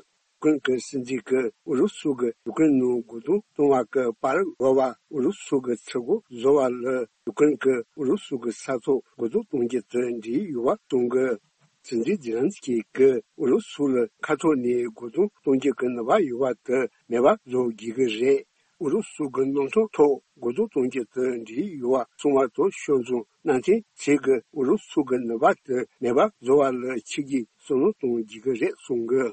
ཡུ་ཀེ་རེན་གྱི་སྲིད་འཛིན་གྱིས་ཨུ་རུ་སུ་གྱིས་ཡུ་ཀེ་རེན་ནང་རྒོལ་རྡུང་བཏང་བ་གི་པར་འགོད་པ་ཨུ་རུ་སུ་གྱིས་ཚུར་རྒོལ་བཟོ་བ་ལ་ཡུ་ཀེ་རེན་གྱིས་ཨུ་རུ་སུ་གྱི་ས་ཐོག་རྒོལ་རྡུང་གཏོང་རྒྱུ་དེ་འགྲིག་ཡོད་པ་གསུངས་ཀྱི། སྲིད་འཛིན་ཛེ་ལན་སི་ཀི་གིས་ཨུ་རུ་སུ་ལ་མཁའ་ཐོག་ནས་རྒོལ་རྡུང་གཏོང་རྒྱུ་གི་ནུས་པ་ཡོད་པ་དེ་མེད་པ་བཟོ་དགོས་ཀྱི་རེད། ཨུ་རུ་སུ་གི་གནམ་ཐང་ཐོག་རྒོལ་རྡུང་གཏོང་རྒྱུ་དེ་འགྲིག་ཡོད་པ་གསུངས་པ་དང་ཕྱོགས་མཚུངས་གནམ་ཐེངས་གཅིག་གི་ཨུ་རུ་སུ་གི་ནུས་པ་དེ་མེད་པ་བཟོ་བ་ལ་ཕྱི་རྒྱལ་བསམ་བློ་གཏོང་དགོས་ཀྱི་རེད་གསུངས་ཀྱི།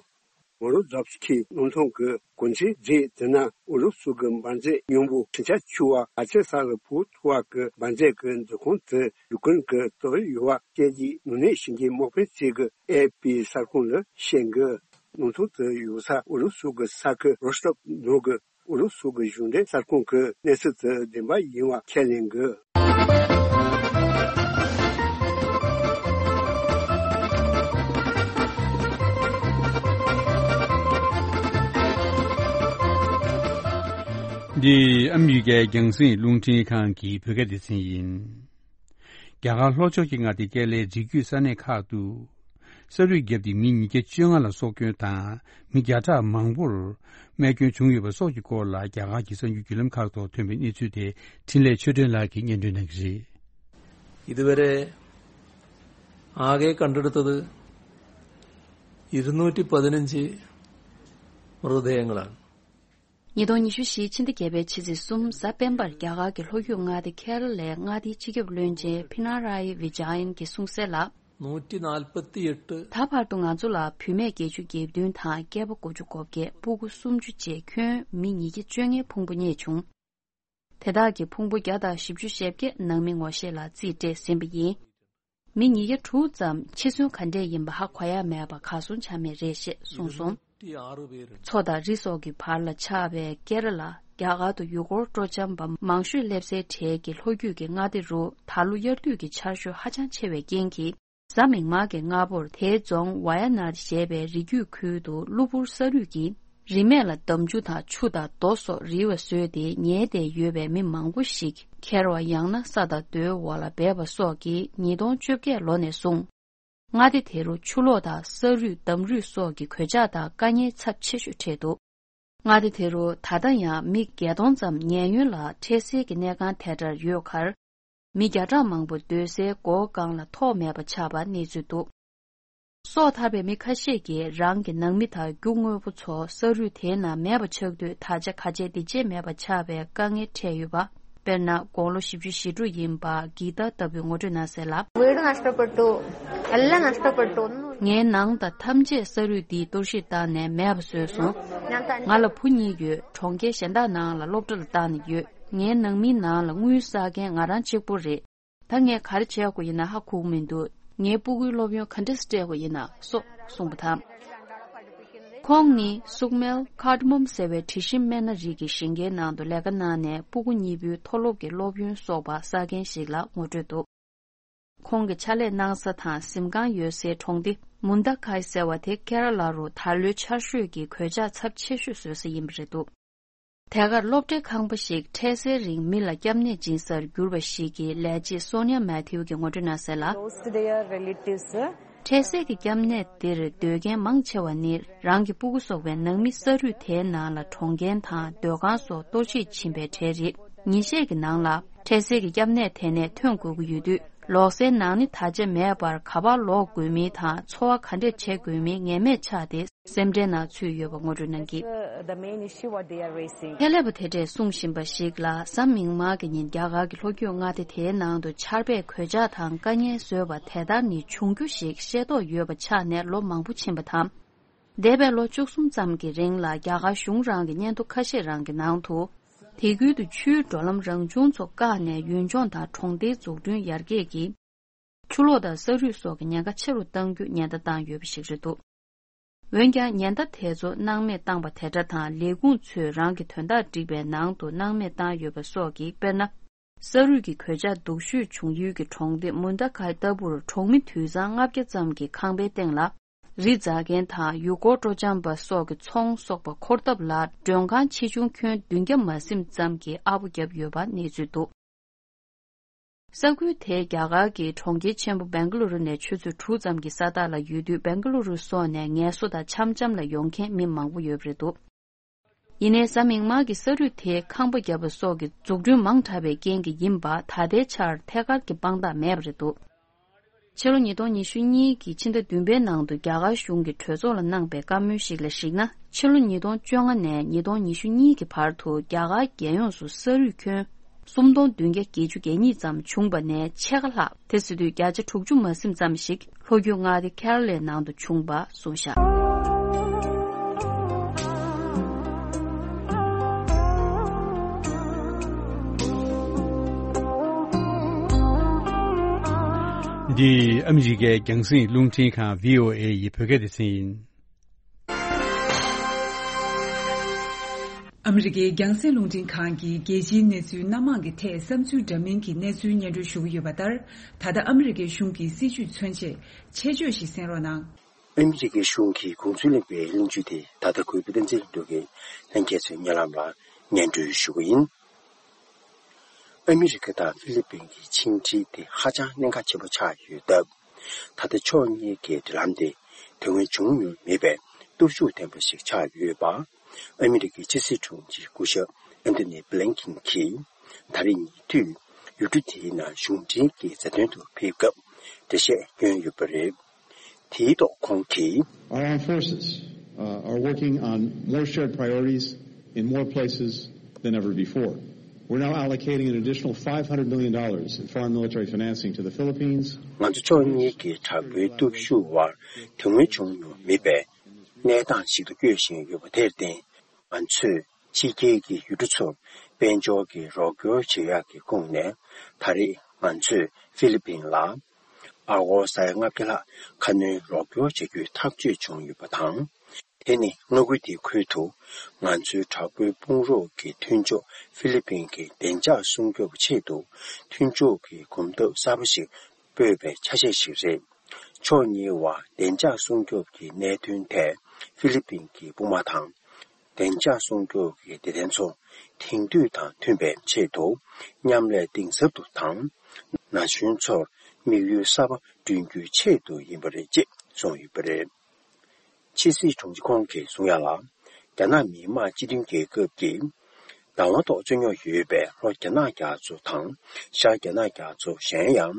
མོ་རོ་ཛོབ་སི་ཁི་གནམ་ཐང་གི་གོ་མཚོན་རྫས་དེ་ནི་ཨུ་རུ་སུ་གི་འབར་རྫས་སྙིང་པོ་འཕྲུལ་ཆས་འཕྱུར་བ་ག་ཚད་ས་ལ་བུད་ཐུབ་པ་གི་འབར་རྫས་ཀྱི་མཛོད་ཁང་དེ་ཡུ་ཀེ་རེན་གྱིས་བཏབ་ཡོད་པ་སྐད་ཀྱི་ནུས་གནས་ཤེས་མཁན་དམག་དཔོན་གཅིག་གིས་ཨེ་ཨེཕ་པི་གསར་ཁང་ལ་བཤད་ཀྱི། གནམ་ཐང་དེ་ཡོད་ས་ཨུ་རུ་སུ་གི་ས་ཁུལ་རོ་སི་ཏོབ་ནང་གི་ཨུ་རུ་སུ་གི་གཞུང་འབྲེལ་གསར་ཁང་གིས་གནས་ཚུལ་དེ་བདེན་པ་ཡིན་པ་ཁས་ལེན་གྱི། འདི་ཨ་མི་རི་ཀའི་རྒྱང་སྲིང་རླུང་འཕྲིན་ཁང་གི་བོད་སྐད་སྡེ་ཚན་ཡིན། རྒྱ་གར་ལྷོ་ཕྱོགས་ཀྱི་མངའ་སྡེ་ཀེ་ར་ལའི་རི་རྒྱུད་ས་གནས་ཁག་ཏུ། ས་རུད་བརྒྱབ་སྟེ་མི་ཉིས་བརྒྱ་བཅོ་ལྔ་ལ་སྲོག་སྐྱོན་དང་མི་བརྒྱ་ཕྲག་མང་པོར་རྨས་སྐྱོན་བྱུང་ཡོད་པའི་སོགས་ཀྱི་སྐོར་ལ་རྒྱ་གར་གྱི་གསར་འགྱུར་བརྒྱུད་ལམ་ཁག་ཐོག་ཐོན་པའི་གནས་ཚུལ་དེ་འཕྲིན་ལས་ཆོས་སྒྲོན་ལགས་ཀྱིས་སྙན་སྒྲོན་གནང་གི་རེད། இதுவரை ஆகை கண்டெடுத்தது இருநூற்றி பதினஞ்சு மிருததேயங்களான். ཉིས་སྟོང་ཉི་ཤུ་བཞི་ཕྱི་ཟླ་བརྒྱད་པའི་ཕྱི་ཚེས་གསུམ་གཟའ་སྤེན་པར་རྒྱ་གར་གྱི་ལྷོ་རྒྱུད་མངའ་སྡེ་ཁེ་ར་ལའི་མངའ་སྡེའི་སྤྱི་ཁྱབ་བློན་ཆེན་པི་ན་ར་ཡི་བི་ཇ་ཡན་གྱིས་གསུངས་གསལ་ལ། ནུ་ཊི་ནཱལ་པ་ཏི་ཡི་ཏི། ད་བར་དུ་ང་ཚོ་ལ་བུད་མེད་བརྒྱད་ཅུ་གྱ་བདུན་དང་སྐྱེས་པ་དགུ་བཅུ་གོ་བརྒྱད། སྤུ་གུ་སུམ་ཅུ་བཅས་ཁྱོན་མི་ཉིས་བརྒྱ་བཅོ་ལྔའི་ཕུང་པོ་རྙེད་བྱུང་། དེ་དག་གི་ཕུང་པོ་བརྒྱ་དང་བཞི་བཅུ་ཞེ་བརྒྱད་ནང་མི་ངོ་ཤེས་ལ་རྩིས་སྤྲད་ཟིན་པ་ཡིན། མི་ཉིས་བརྒྱ་དྲུག་ཙམ་འཆི་གསོན་ག་འདྲས་ཡིན་པ་ཧ་གོ་ཡ་མེད་པ་གར་སོང་ཆ་མེད་རེད་ཅེས་གསུངས་སོང་། མཚོ་དང་རི་སོགས་ཀྱི་བར་ལ་ཆགས་པའི་ཀེ་ར་ལ། རྒྱ་གར་དུ་ཡུལ་སྐོར་སྤྲོ་འཆམ་པ་མང་ཤོས་སླེབས་སའི་གྲས་ཀྱི་ལྷོ་རྒྱུད་ཀྱི་མངའ་སྡེ་རུ་ད་ལོ་དབྱར་དུས་ཀྱི་ཆར་ཞོད་ཧ་ཅང་ཆེ་བའི་རྐྱེན་གྱིས། གཟའ་མིག་དམར་གྱི་སྔ་པོར་དེའི་རྫོང་ཝ་ཡ་ནཱད་ཞེས་པའི་རི་རྒྱུད་ཁུལ་དུ་གློ་བུར་ས་རུད་ཀྱིས་རིན་མེད་ལ་འདམ་ཆུ་དང་ཆུ་དང་རྡོ་སོགས་རིལ་བ་བཟོས་ཏེ་ཉལ་བསྡད་ཡོད་པའི་མི་མང་པོ་ཞིག་ཁྱེར་བ་ཡང་ན་ས་དང་རྡོའི་འོག་ལ་སྦས་པ་སོགས་ཀྱིས་ཉིས་སྟོང་བཅོ་བརྒྱད་ལོ་ནས་བཟུང་། མངའ་སྡེ་དེ་རུ་ཆུ་ལོག་དང་ས་རུད་འདམ་རུད་སོགས་ཀྱི་གོད་ཆག་དང་དཀའ་ངལ་ཚབས་ཆེ་ཤོས་འཕྲད་འདུག་མངའ་སྡེ་དེ་རུ་ད་ལྟ་ཡང་མི་བརྒྱད་སྟོང་ཙམ་ཉེན་གཡོལ་ལ་འཕྲལ་སེལ་གྱི་གནས་ཁང་དེ་འདྲར་ཡོད་ཁར། མི་བརྒྱ་ཕྲག་མང་པོ་སྡོད་སའི་སྒོ་ཁང་ལ་ཐོག་མེད་པ་ཆགས་པ་གནས་ཚུལ་འདུག་སྲོག་ཐར་པའི་མི་ཁ་ཤས་ཀྱིས་རང་གི་ནང་མི་དང་རྒྱུ་དངོས་པོ་ཚོ་ས་རུད་དེའི་ནང་མེད་པ་ཆགས་དུས་ད་ཆ་ག་བྱེད་འདི་བྱེད་མེད་པ་ཆགས་པའི་དཀའ་ངལ་འཕྲད་ཡོད་པ། དཔེར་ན་དགུང་ལོ་བཞི་བཅུ་ཞེ་དྲུག་ཡིན་པ་གི་ཏ་ལྟ་བུས་ངོ་སྤྲོད་གནང་གསལ་ལ། വീട് നഷ്ടപ്പെട്ടു. എല്ലാം നഷ്ടപ്പെട്ടു. ഒന്നും ངའི་ནང་དང་ཐམས་ཅད་ས་རུད་འདིས་གཏོར་བཤིག་བཏང་ནས་མེད་པ་བཟོས་སོང་། ང་ལ་བུ་གཉིས་ཡོད། གྲོང་ཁྱེར་གཞན་དག་ནང་ལ་སློབ་གྲྭ་ལ་བཏང་ནས་ཡོད། ངའི་ནང་མིའི་ནང་ལ་དངུལ་བསགས་མཁན་ང་རང་གཅིག་པོ་རེད། ད་ངས་ག་རེ་བྱེད་དགོས་ཡིན་ན་ཧ་གོ་གི་མི་འདུག་ངའི་སྤུ་གུའི་སློབ་ཡོན་ག་འདྲས་སྤྲད་དགོས་ཡིན་ན་སོགས་གསུངས་པ་དང་། ཁོང་ནི་སུག་མེལ་ཁཱར་ཌི་མོམ་ཟེར་བའི་དྲི་ཞིམ་སྨན་སྣ་རིགས་ཀྱི་ཞིང་ཁའི་ནང་དུ་ལས་ཀ་གནང་ནས་སྤུ་གུ་གཉིས་པོའི་མཐོ་སློབ་ཀྱི་སློབ་ཡོན་གསོག་པར་བསགས་མཁན་ཞིག་ལ་ངོ་སྤྲོད་འདུག་ཁོང་གི་ཕྱག་ལས་གནང་ས་དང་གཟིམ་ཁང་ཡོད་སའི་གྲོང་སྡེ་མུན་ད་ཁའི་ཟེར་བ་དེ་ཀེ་ར་ལ་རུ་ད་ལོའི་ཆར་ཞོད་ཀྱི་གོད་ཆག་ཚབས་ཆེ་ཤོས་བཟོ་ས་ཡིན་པ་རེད་འདུག་དེ་གར་སློབ་གྲྭའི་ཁང་པ་ཞིག་འཕྲལ་སེལ་རིང་མི་ལ་སྐྱབས་གནས་སྦྱིན་སར་གྱུར་པ་ཞིག་གི་ལས་བྱེད་སོ་ནི་ཡ་མེ་ཐིའུ་གིས་ངོ་སྤྲོད་གནང་གསལ་ལ། འཕྲལ་སེལ་གྱི་སྐྱབས་གནས་འདིར་སྡོད་མཁན་མང་ཆེ་བ་ནི་རང་གི་སྤུ་གུ་སོགས་པའི་ནང་མི་ས་རུད་དེའི་ནང་ལ་གྲོངས་མཁན་དང་སྡོད་ཁང་སོགས་གཏོར་བཤིག་ཕྱིན་པའི་གྲས་རེད། ཉིན་ཤས་ཀྱི་ནང་ལ་འཕྲལ་སེལ་གྱི་སྐྱབས་གནས་དེ་ནས་ཐོན་དགོས་ཀྱི་ཡོད་དུས། ལོག་སའི་ནང་ནི་ད་ཆ་མེད་པར་ག་པར་ལོག་དགོས་མིན་དང་འཚོ་བ་ག་འདྲས་བྱེད་དགོས་མིན་ངེས་མེད་ཆགས་ཏེ་སེམས་ཁྲལ་ནང་ཚུད་ཡོད་པ་ངོ་སྤྲོད་གནང་གིས། ཁྱད་ལས་པ་དེ་འདྲས་གསུང་བཞིན་པ་ཞིག་ལ་གཟའ་མིག་དམར་གྱི་ཉིན་རྒྱ་གར་གྱི་ལྷོ་རྒྱུད་མངའ་སྡེ་དེའི་ནང་དུ་ཆར་པས་གོད་ཆག་དང་དཀའ་ངལ་བཟོས་པ་དེ་ལྟར་ནི་འབྱུང་རྒྱུ་ཞིག་ཤེས་རྟོགས་ཡོད་པ་ཆགས་ནས་ལོ་མང་པོ་ཕྱིན་པ་དང་། འདས་པའི་ལོ་བཅུ་གསུམ་ཙམ་གྱི་རིང་ལ་རྒྱ་གར་གཞུང་རང་གི་སྙན་ཐོ་ཁ་ཤས་རང་གི་ནང་དུ། དེ་ཁུལ་དུ་ཆུའི་འགྲོ་ལམ་རང་བྱུང་ཚོ་བཀག་ནས་ཡུལ་ལྗོངས་དང་གྲོང་སྡེའི་འཛུགས་སྐྲུན་ཡར་རྒྱས་ཀྱིས། ཆུ་ལོག་དང་ས་རུད་སོགས་ཀྱི་ཉེན་ཁ་ཆེ་རུ་གཏང་རྒྱུ་ཉེན་བརྡ་བཏང་ཡོད་པ་ཞིག་རེད་འདུག་འོན་ཀྱང་ཉེན་བརྡ་དེ་ཚོ་སྣང་མེད་བཏང་པ་དེ་འདྲ་དང་ལས་ཁུངས་ཚོས་རང་གི་དོན་དག་སྒྲིག་པའི་ནང་དུ་སྣང་མེད་བཏང་ཡོད་པ་སོགས་ཀྱིས་དཔེར་ན། ས་རུད་ཀྱི་གོད་ཆག་སྡུག་ཤོས་བྱུང་ཡུལ་གྱི་གྲོང་སྡེ་མུན་ད་ཁའི་ལྟ་བུར་གྲོང་མི་དུད་ཚང་ལྔ་བརྒྱ་ཙམ་གྱི་ཁང་པའི་སྟེང་ལ་ རི་འཛེག་མཁན་དང་ཡུལ་སྐོར་སྤྲོ་འཆམ་པ་སོགས་ཀྱི་ཚོང་གསོག་པ་འཁོར་འདབས་ལ་མགྲོན་ཁང་ཆེ་ཆུང་ཁྱོན་བདུན་བརྒྱ་མ་ཟིན་ཙམ་གྱིས་ཨ་སྦོ་བརྒྱབ་ཡོད་པ་གནས་ཚུལ་འདུག་ས་ཁུལ་དེའི་རྒྱ་གར་གྱི་གྲོང་ཁྱེར་ཆེན་པོ་སྦེང་ག་ལུ་རུ་ནས་ཆུ་ཚོད་དྲུག་ཙམ་གྱི་ས་ཐག་ལ་ཡོད་དུས། སྦེང་ག་ལུ་རུ་སོགས་ནས་ངལ་གསོ་དང་འཆམ་འཆམ་ལ་ཡོང་མཁན་མི་མང་པོ་ཡོད་པ་རེད་འདུག་ཡིན་ནའི་གཟའ་མིག་དམར་གྱི་ས་རུད་དེ་ཁང་པ་བརྒྱབ་པ་སོགས་ཀྱི་འཛུགས་སྐྲུན་མང་དྲགས་པའི་རྐྱེན་གྱིས་ཡིན་པ། ད་ལྟའི་ཆར་ཐད་ཀར་གྱི་དཔང་རྟགས་མེད་པ་རེད་འདུག་ཕྱི་ལོ་ཉིས་སྟོང་ཉི་ཤུ་གཉིས་ཀྱི་ཕྱི་ཟླ་བདུན་པའི་ནང་དུ་རྒྱ་གར་གཞུང་གིས་གྲོས་ཚོགས་ལ་གནང་པའི་བཀའ་མོལ་ཞིག་ལ་གཞིགས་ན། ཕྱི་ལོ་ཉིས་སྟོང་བཅོ་ལྔ་ནས་ཉིས་སྟོང་ཉི་ཤུ་གཉིས་ཀྱི་བར་དུ་རྒྱ་གར་རྒྱལ་ཡོངས་སུ་ས་རུད་ཁྱོན་སུམ་སྟོང་བདུན་བརྒྱ་བརྒྱད་ཅུ་གྱ་གཉིས་ཙམ་བྱུང་བ་ནས་ཕྱེད་ཀ་ལྷག་དེ་ཟེར་དུས་བརྒྱ་ཆ་དྲུག་ཅུ་མ་ཟིན་ཙམ་ཞིག་ལྷོ་རྒྱུད་མངའ་སྡེ་ཁེ་ར་ལའི་ནང་དུ་བྱུང་བ་གསུངས་བཞག་འདི་ཨ་མི་རི་ཀའི་རྒྱང་སྲིང་རླུང་འཕྲིན་ཁང་བྷི་ཨོ་ཨེ་ཡི་བོད་སྐད་སྡེ་ཚན་ཡིན། ཨ་མི་རི་ཀའི་རྒྱང་སྲིང་རླུང་འཕྲིན་ཁང་གིས་རྒྱལ་སྤྱིའི་གནས་ཚུལ་སྣ་མང་གི་ཐད་བསམ་ཚུལ་འདྲ་མིན་གྱི་གནས་ཚུལ་སྙན་སྒྲོན་ཞུ་གི་ཡོད་པ་ལྟར། ད་ལྟ་ཨ་མི་རི་ཀའི་གཞུང་གི་སྲིད་བྱུས་མཚོན་ཆེད་ཆེད་བརྗོད་ཞིག་གསན་རོགས་གནང་། ཨ་མི་རི་ཀའི་གཞུང་གིས་དགོངས་ཚུལ་གླེང་བའི་གླེང་བརྗོད་དེ་ད་ལྟ་གུས་པ་བསྟན་འཛིན་ལྷུན་གྲུབ་ཀྱིས་ལྷན་རྒྱས་ཚོའི་སྙན་ལམ་ལ་སྙན་སྒྲོན་ཞུ་གི་ཡིན། ཨ་མི་རི་ཀ་དང་ཧྥི་ལི་པིན་གྱི་ཕྱི་འབྲེལ་དེ་ཧ་ཅང་གནད་འགག་ཆེན་པོ་ཆགས་ཡོད་སྟབས། ད་ལྟ་ཕྱོགས་གཉིས་ཀྱི་འབྲེལ་ལམ་དེ་དེ་སྔོན་བྱུང་མྱོང་མེད་པའི་སྟོབས་ཤུགས་ལྡན་པ་ཞིག་ཆགས་ཡོད་པ། ཨ་མི་རི་ཀའི་ཕྱི་སྲིད་དྲུང་ཆེ་སྐུ་ཞབས་ཨན་ཐོ་ནི་བྷི་ལིན་ཀིན་གྱིས་ད་རེས་ཉེ་དུས་ཡུལ་གྲུ་དེའི་ནང་གཞུང་འབྲེལ་གྱི་མཛའ་མཐུན་དུ་ཕེབས་སྐབས་འགྲེལ་བཤད་བསྐྱོན་ཡོད་པ་རེད། དེའི་ཐོག་ཁོང་གིས། Our armed forces, uh, are working on more shared priorities in more places than ever before. We're now allocating an additional five hundred million dollars in foreign military financing to the Philippines. ང་ཚོ་ཕྱོགས་གཉིས་ཀྱི་དྲག་པོའི་སྟོབས་ཤུགས་དབར་དེ་སྔོན་བྱུང་མྱོང་མེད་པའི་གནས་སྟངས་ཤིག་ཏུ་བསྐྱོད་བཞིན་ཡོད་པ་དེར་བརྟེན། ང་ཚོས་ཕྱི་རྒྱལ་གྱི་ཡུལ་གྲུ་ཚོར་དཔལ་འབྱོར་གྱི་རོགས་སྐྱོར་བྱེད་ཡག་གི་ཁོངས་ནས། ད་རེས་ང་ཚོས་ཧྥི་ལི་པིན་ལ་ཨ་སྒོར་ས་ཡ་ལྔ་བརྒྱ་ལྷག་ཁ་སྣོན་རོགས་སྐྱོར་བྱ་རྒྱུའི་ཐག་གཅོད་བྱུང་ཡོད་པ་དང་། དེ་ནི་མངའ་ཁུལ་དེའི་ཁུལ་དུ་ང་ཚོའི་དྲག་པོའི་དཔུང་རོགས་ཀྱི་མཐུན་ཕྱོགས་ཧྥི་ལི་པིན་གྱི་བདེ་འཇགས་སྲུང་སྐྱོབ་ཆེད་དུ་མཐུན་ཕྱོགས་ཀྱི་གོམ་སྟབས་གསར་པ་ཞིག་སྤོས་པའི་ཆ་ཤས་ཤིག་རེད། ཕྱོགས་གཉིས་བར་བདེ་འཇགས་སྲུང་སྐྱོབ་ཀྱི་གནད་དོན་ཐད་ཧྥི་ལི་པིན་གྱི་དཔུང་དམག་དང་། བདེ་འཇགས་སྲུང་སྐྱོབ་ཀྱི་སྡེ་ཚན་ཚོ་དེང་དུས་དང་མཐུན་པའི་ཆེད་དུ་མཉམ་ལས་གཏིང་ཟབ་ཏུ་དང་། ན་གཞོན་ཚོར་དམིགས་ཡུལ་གསར་པ་བསྐྲུན་རྒྱུའི་ཆེད་དུ་ཡིན་པ་རེད་ཅེས་གསུངས་ཡོད་པ་རེད། ཕྱི་སྲིད་དྲུང་ཆེ་ཁོང་གིས་གསུངས་ཡ་ལ། རྒྱ་ནག་མི་དམངས་སྤྱི་མཐུན་རྒྱལ་ཁབ་ཀྱིས་བདག་དབང་ཐོག་རྩོད་རྙོག་ཡོད་པའི་ལྷོ་རྒྱ་ནག་རྒྱ་མཚོ་དང་ཤར་རྒྱ་ནག་རྒྱ་མཚོ། གཞན་ཡང་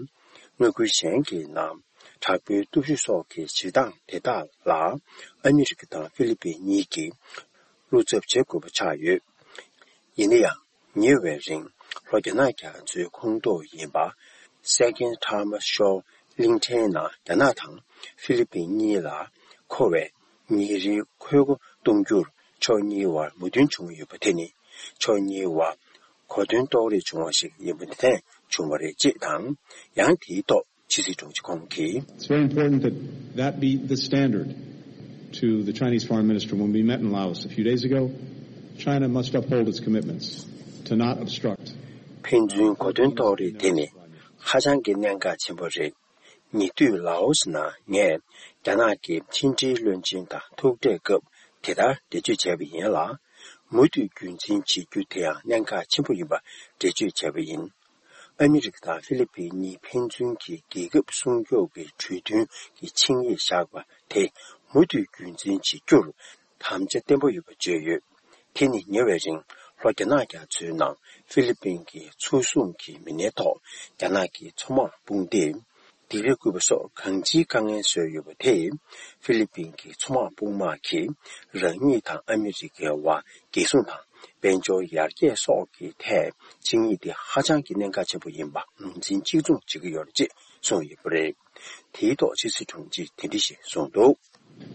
མངའ་ཁུལ་གཞན་གྱི་ནང་དྲག་པོའི་སྟོབས་ཤུགས་སོགས་ཀྱི་བྱེད་སྟངས་དེ་དག་ལ་ཨ་མི་རི་ཀ་དང་ཧྥི་ལི་པིན་གཉིས་ཀྱིས་བློ་འཚབ་བྱེད་དགོས་པ་ཆགས་ཡོད། ཡིན་ན་ཡང་། ཉེ་བའི་རིང་ལྷོ་རྒྱ་ནག་རྒྱ་མཚོའི་ཁོངས་གཏོགས་ཡིན་པ། Second Tama Shoal གླིང་ཕྲན་ནང་རྒྱ་ནག་དང་ཧྥི་ལི་པིན་གཉིས་ལ་མཁོ་བའི་ཉིན་རེའི་ཁོལ་སྒོ་གཏོང་རྒྱུར་ཕྱོགས་གཉིས་བར་མོས་མཐུན་བྱུང་ཡོད་པ་དེ་ནི་ཕྱོགས་གཉིས་བར་གོ་མཐུན་རྟོགས་རེས་བྱུང་བ་ཞིག་ཡིན་པ་འདི་ཐད་བྱུང་བ་རེད་ཅེས་དང་། ཡང་དེའི་ཐོག་ཕྱི་སྲིད་དྲུང་ཆེ་ཁོང་གིས། It's very important that that be the standard to the Chinese Foreign Minister when we met in Laos a few days ago. China must uphold its commitments to not obstruct. ཕན་ཚུན་གོ་མཐུན་རྟོགས་རེས་དེ་ནི་ཧ་ཅང་གི་གནད་འགག་ཆེན་པོ་རེད། ཉེ་དུས་ལའོ་སི་ནང་ངས་རྒྱ་ནག་གི་ཕྱི་འབྲེལ་བློན་ཆེན་དང་ཐུག་འཕྲད་སྐབས་དེ་ལྟར་འགྲེལ་བརྗོད་བྱས་པ་ཡིན་ལ། མུ་མཐུད་རྒྱུན་འཛིན་བྱེད་རྒྱུ་དེ་ཡང་གནད་འགག་ཆེན་པོ་ཡིན་པ་འགྲེལ་བརྗོད་བྱས་པ་ཡིན། ཨ་མི་རི་ཀ་དང་ཧྥི་ལི་པིན་གཉིས་ཕན་ཚུན་གྱི་རྒྱལ་ཁབ་སྲུང་སྐྱོབ་ཀྱི་གྲོས་མཐུན་གྱི་ཆིངས་ཡིག་བཞག་པ་དེ་མུ་མཐུད་རྒྱུན་འཛིན་བྱེད་རྒྱུར་དམ་བཅའ་བརྟན་པོ་ཡོད་པ་བརྗོད་ཡོད། དེ་ནི་ཉེ་བའི་རིང་ལྷོ་རྒྱ་ནག་རྒྱ་མཚོའི་ནང་ཧྥི་ལི་པིན་གྱི་མཚོ་སྲུང་གི་མི་སྣའི་ཐོག་རྒྱ་ནག་གི་མཚོ་དམག་དཔུང་སྡེས་ལྡིང་ར་བསྐུལ་བ་སོགས་གང་ཅིའི་དཀའ་ངལ་བཟོས་ཡོད་པ་དེས། ཧྥི་ལི་པིན་གྱི་མཚོ་དམག་དཔུང་དམག་གིས་རང་ཉིད་དང་ཨ་མི་རི་ཀའི་དབར་རྒྱལ་སྲུང་དང་དཔལ་འབྱོར་ཡར་རྒྱས་སོགས་ཀྱི་ཐད་ཆིངས་ཡིག་དེ་ཧ་ཅང་གི་གནད་འགག་ཆེན་པོ་ཡིན་པ་ངོས་འཛིན་གཅིག་མཚུངས་བྱེད་ཀྱི་ཡོད་རེད་ཅེས་གསུངས་ཡོད་པ་རེད། དེའི་ཐོག་ཕྱི་སྲིད་དྲུང་ཆེས་དེ་འདྲ་ཞིག་གསུངས་འདུག།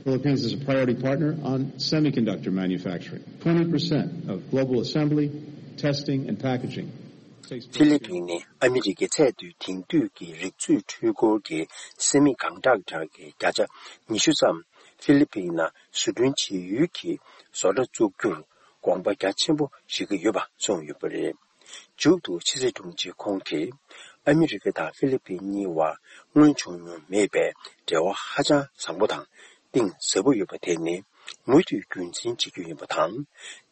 Philippines is a priority partner on semiconductor manufacturing. Twenty percent of global assembly, testing, and packaging takes place. ཧྥི་ལི་པིན་ནི་ཨ་མི་རི་ཀའི་ཚད་མཐོའི་དེང་དུས་ཀྱི་རིག་མཛོད་འཕྲུལ་འཁོར་གྱི་སེ་མི་ཀོན་ཌག་ཊར་གྱི་བརྒྱ་ཆ་ཉི་ཤུ་ཙམ་ཧྥི་ལི་པིན་ནང་བཟོ་སྐྲུན་བྱེད་ཡུལ་གྱི་བཟོ་གྲྭ་བཙུགས་རྒྱུར་དགོངས་པ་རྒྱ་ཆེན་པོ་བཞེས་ཀྱི་ཡོད་པ་གསུངས་ཡོད་པ་རེད། མཇུག་ཏུ་ཕྱི་སྲིད་དྲུང་ཆེ་ཁོང་གིས་ཨ་མི་རི་ཀ་དང་ཧྥི་ལི་པིན་གཉིས་བར་སྔོན་བྱུང་མྱོང་མེད་པའི་འབྲེལ་བ་ཧ་ཅང་བཟང་པོ་དང་ གཏིང་ཟབ་པོ་ཡོད་པ་དེ་ནི་མུ་མཐུད་རྒྱུན་འཛིན་བྱེད་རྒྱུ་ཡིན་པ་དང་།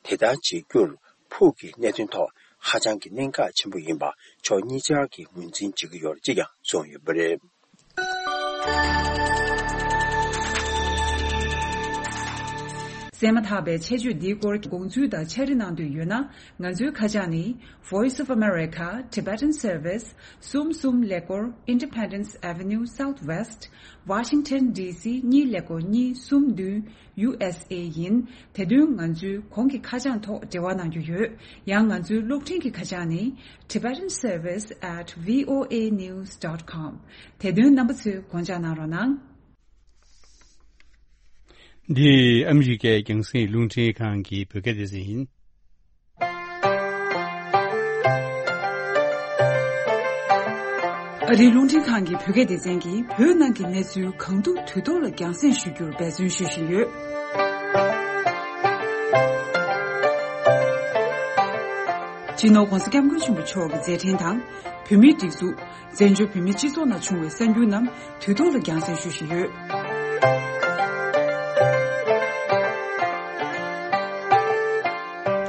དེ་ལྟར་བྱེད་རྒྱུར་ཕུགས་ཀྱི་གནད་དོན་ཐོག་ཧ་ཅང་གི་གནད་འགག་ཆེན་པོ་ཡིན་པ་ཕྱོགས་གཉིས་ཆར་གྱིས་ངོས་འཛིན་བྱེད་ཀྱི་ཡོད་ཅེས་ཀྱང་གསུངས་ཡོད་པ་རེད། གསན་མ་ཐག་པའི་ཆེད་བརྗོད་འདིའི་སྐོར་དགོངས་ཚུལ་དང་ཕྱག་བྲིས་གནང་འདོད་ཡོད་ན། ང་ཚོའི་ཁ་བྱང་ནི། Voice of America, Tibetan Service, གསུམ་གསུམ་ཀླད་ཀོར་Independence Avenue Southwest, Washington D C གཉིས་ཀླད་ཀོར་གཉིས་གསུམ་བདུན། U S A ཡིན། དེ་དོན་ང་ཚོའི་གོང་གི་ཁ་བྱང་ཐོག་འབྲེལ་བ་གནང་རྒྱུ་ཡོད། ཡང་ང་ཚོའི་གློག་འཕྲིན་གྱི་ཁ་བྱང་ནི། Tibetan Service at V O A news dot com དེ་དོན་རྣམ་པ་ཚོས་དགོངས་འཇགས་གནང་རོགས་གནང་། འདི་ཨ་མི་རི་ཀའི་རྒྱང་སྲིང་རླུང་འཕྲིན་ཁང་གི་བོད་སྐད་སྡེ་ཚན་ཡིན། ཨ་རིའི་རླུང་འཕྲིན་ཁང་གི་བོད་སྐད་སྡེ་ཚན་གྱིས་བོད་ནང་གི་གནས་ཚུལ་གང་ཐུབ་དུས་ཐོག་ལ་རྒྱང་སྲིང་ཞུ་རྒྱུར་འབད་བརྩོན་ཞུ་བཞིན་ཡོད། སྤྱི་ནོར་༧གོང་ས་༧སྐྱབས་མགོན་ཆེན་པོ་མཆོག་གི་མཛད་འཕྲིན་དང་། བོད་མིའི་སྒྲིག་འཛུགས། བཙན་བྱོལ་བོད་མིའི་སྤྱི་ཚོགས་ནང་བྱུང་བའི་གསར་འགྱུར་རྣམས་དུས་ཐོག་ལ་རྒྱང་སྲིང་ཞུ་བཞིན་ཡོད།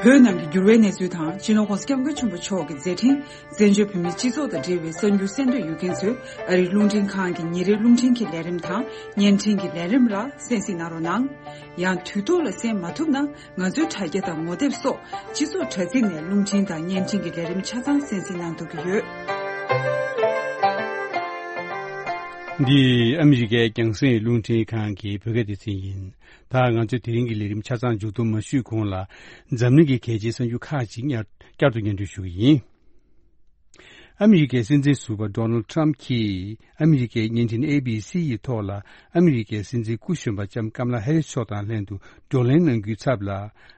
བོད་ནང་གི་འགྱུར་བའི་གནས་ཚུལ་དང་། སྤྱི་ནོར་༧གོང་ས་༧སྐྱབས་མགོན་ཆེན་པོ་མཆོག་གི་མཛད་འཕྲིན། བཙན་བྱོལ་བོད་མིའི་སྤྱི་ཚོགས་དང་འབྲེལ་བའི་གསར་འགྱུར་གསན་འདོད་ཡོད་མཁན་ཚོས་ཨ་རིའི་རླུང་འཕྲིན་ཁང་གི་ཉིན་རེའི་རླུང་འཕྲིན་གྱི་ལས་རིམ་དང་། བརྙན་འཕྲིན་གྱི་ལས་རིམ་ལ་གསན་གཟིགས་གནང་རོགས་གནང་། ཡང་དུས་ཐོག་ལ་གསན་མ་ཐུབ་ན། ང་ཚོའི་དྲ་རྒྱ་དང་ངོ་དེབ་སོགས་སྤྱི་ཚོགས་དྲ་ཚིགས་ནས་རླུང་འཕྲིན་དང་བརྙན་འཕྲིན་གྱི་ལས་རིམ་ཆ་ཚང་གསན་གཟིགས་གནང་ཐུབ་ཀྱི་ཡོད། འདི་ཨ་མི་རི་ཀའི་རྒྱང་སྲིང་རླུང་འཕྲིན་ཁང་གི་བོད་སྐད་སྡེ་ཚན་ཡིན། ད་ང་ཚོས་དེ་རིང་གི་ལས་རིམ་ཆ་ཚང་མཇུག་བསྡོམས་མ་ཞུས་གོང་ལ། འཛམ་གླིང་གི་གལ་ཆེའི་གསར་འགྱུར་ཁག་ཅིག་བསྐྱར་བསྐྱར་དུ་སྙན་སྒྲོན་ཞུ་གི་ཡིན། ཨ་མི་རི་ཀའི་སྲིད་འཛིན་ཟུར་པ་Donald Trump གྱིས་ཨ་མི་རི་ཀའི་བརྙན་འཕྲིན་A B C ཡི་ཐོག་ལ། ཨ་མི་རི་ཀའི་སྲིད་འཛིན་སྐུ་གཞོན་པ་ལྕམ་ཀམ་ལ་ཧེ་རིས་མཆོག་དང་ལྷན་དུ་བགྲོ་གླེང་གནང་རྒྱུའི་ཚབ་ལ།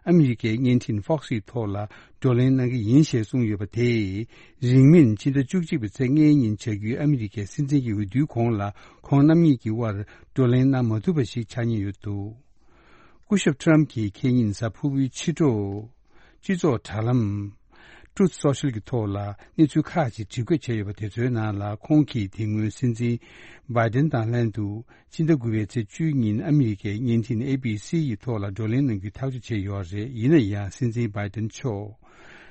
ཨ་མི་རི་ཀའི་བརྙན་འཕྲིན་Fox ཡི་ཐོག་ལ་བགྲོ་གླེང་གནང་གི་ཡིན་ཞེས་གསུངས་ཡོད་པ་དེས། རིང་མིན་ཕྱི་ཟླ་བཅུ་གཅིག་པའི་ཚེས་ལྔའི་ཉིན་བྱ་རྒྱུའི་ཨ་མི་རི་ཀའི་སྲིད་འཛིན་གྱི་འོས་བསྡུའི་གོང་ལ། ཁོང་རྣམ་གཉིས་ཀྱི་དབར་བགྲོ་གླེང་གནང་མ་ཐུབ་པ་ཞིག་ཆགས་ཉེན་ཡོད་འདུག་སྐུ་ཞབས་Trump གྱིས་ཁེ་ཉིན་གཟའ་ཕུར་བུའི་ཕྱི་དྲོ། སྤྱི་ཚོགས་དྲ་ལམ། Truth Social གྱི་ཐོག་ལ་གནས་ཚུལ་ཁག་ཅིག་བྲིས་འགོད་བྱས་ཡོད་པ་དེ་ཚོའི་ནང་ལ། ཁོང་གིས་དེ་སྔོན་སྲིད་འཛིན་Biden དང་ལྷན་དུ། ཕྱི་ཟླ་དགུ་པའི་ཚེས་བཅུའི་ཉིན་ཨ་མི་རི་ཀའི་བརྙན་འཕྲིན་A B C ཡི་ཐོག་ལ་བགྲོ་གླེང་གནང་རྒྱུའི་ཐག་གཅོད་བྱས་ཡོད་རེད། ཡིན་ན་ཡང་སྲིད་འཛིན་Biden མཆོག་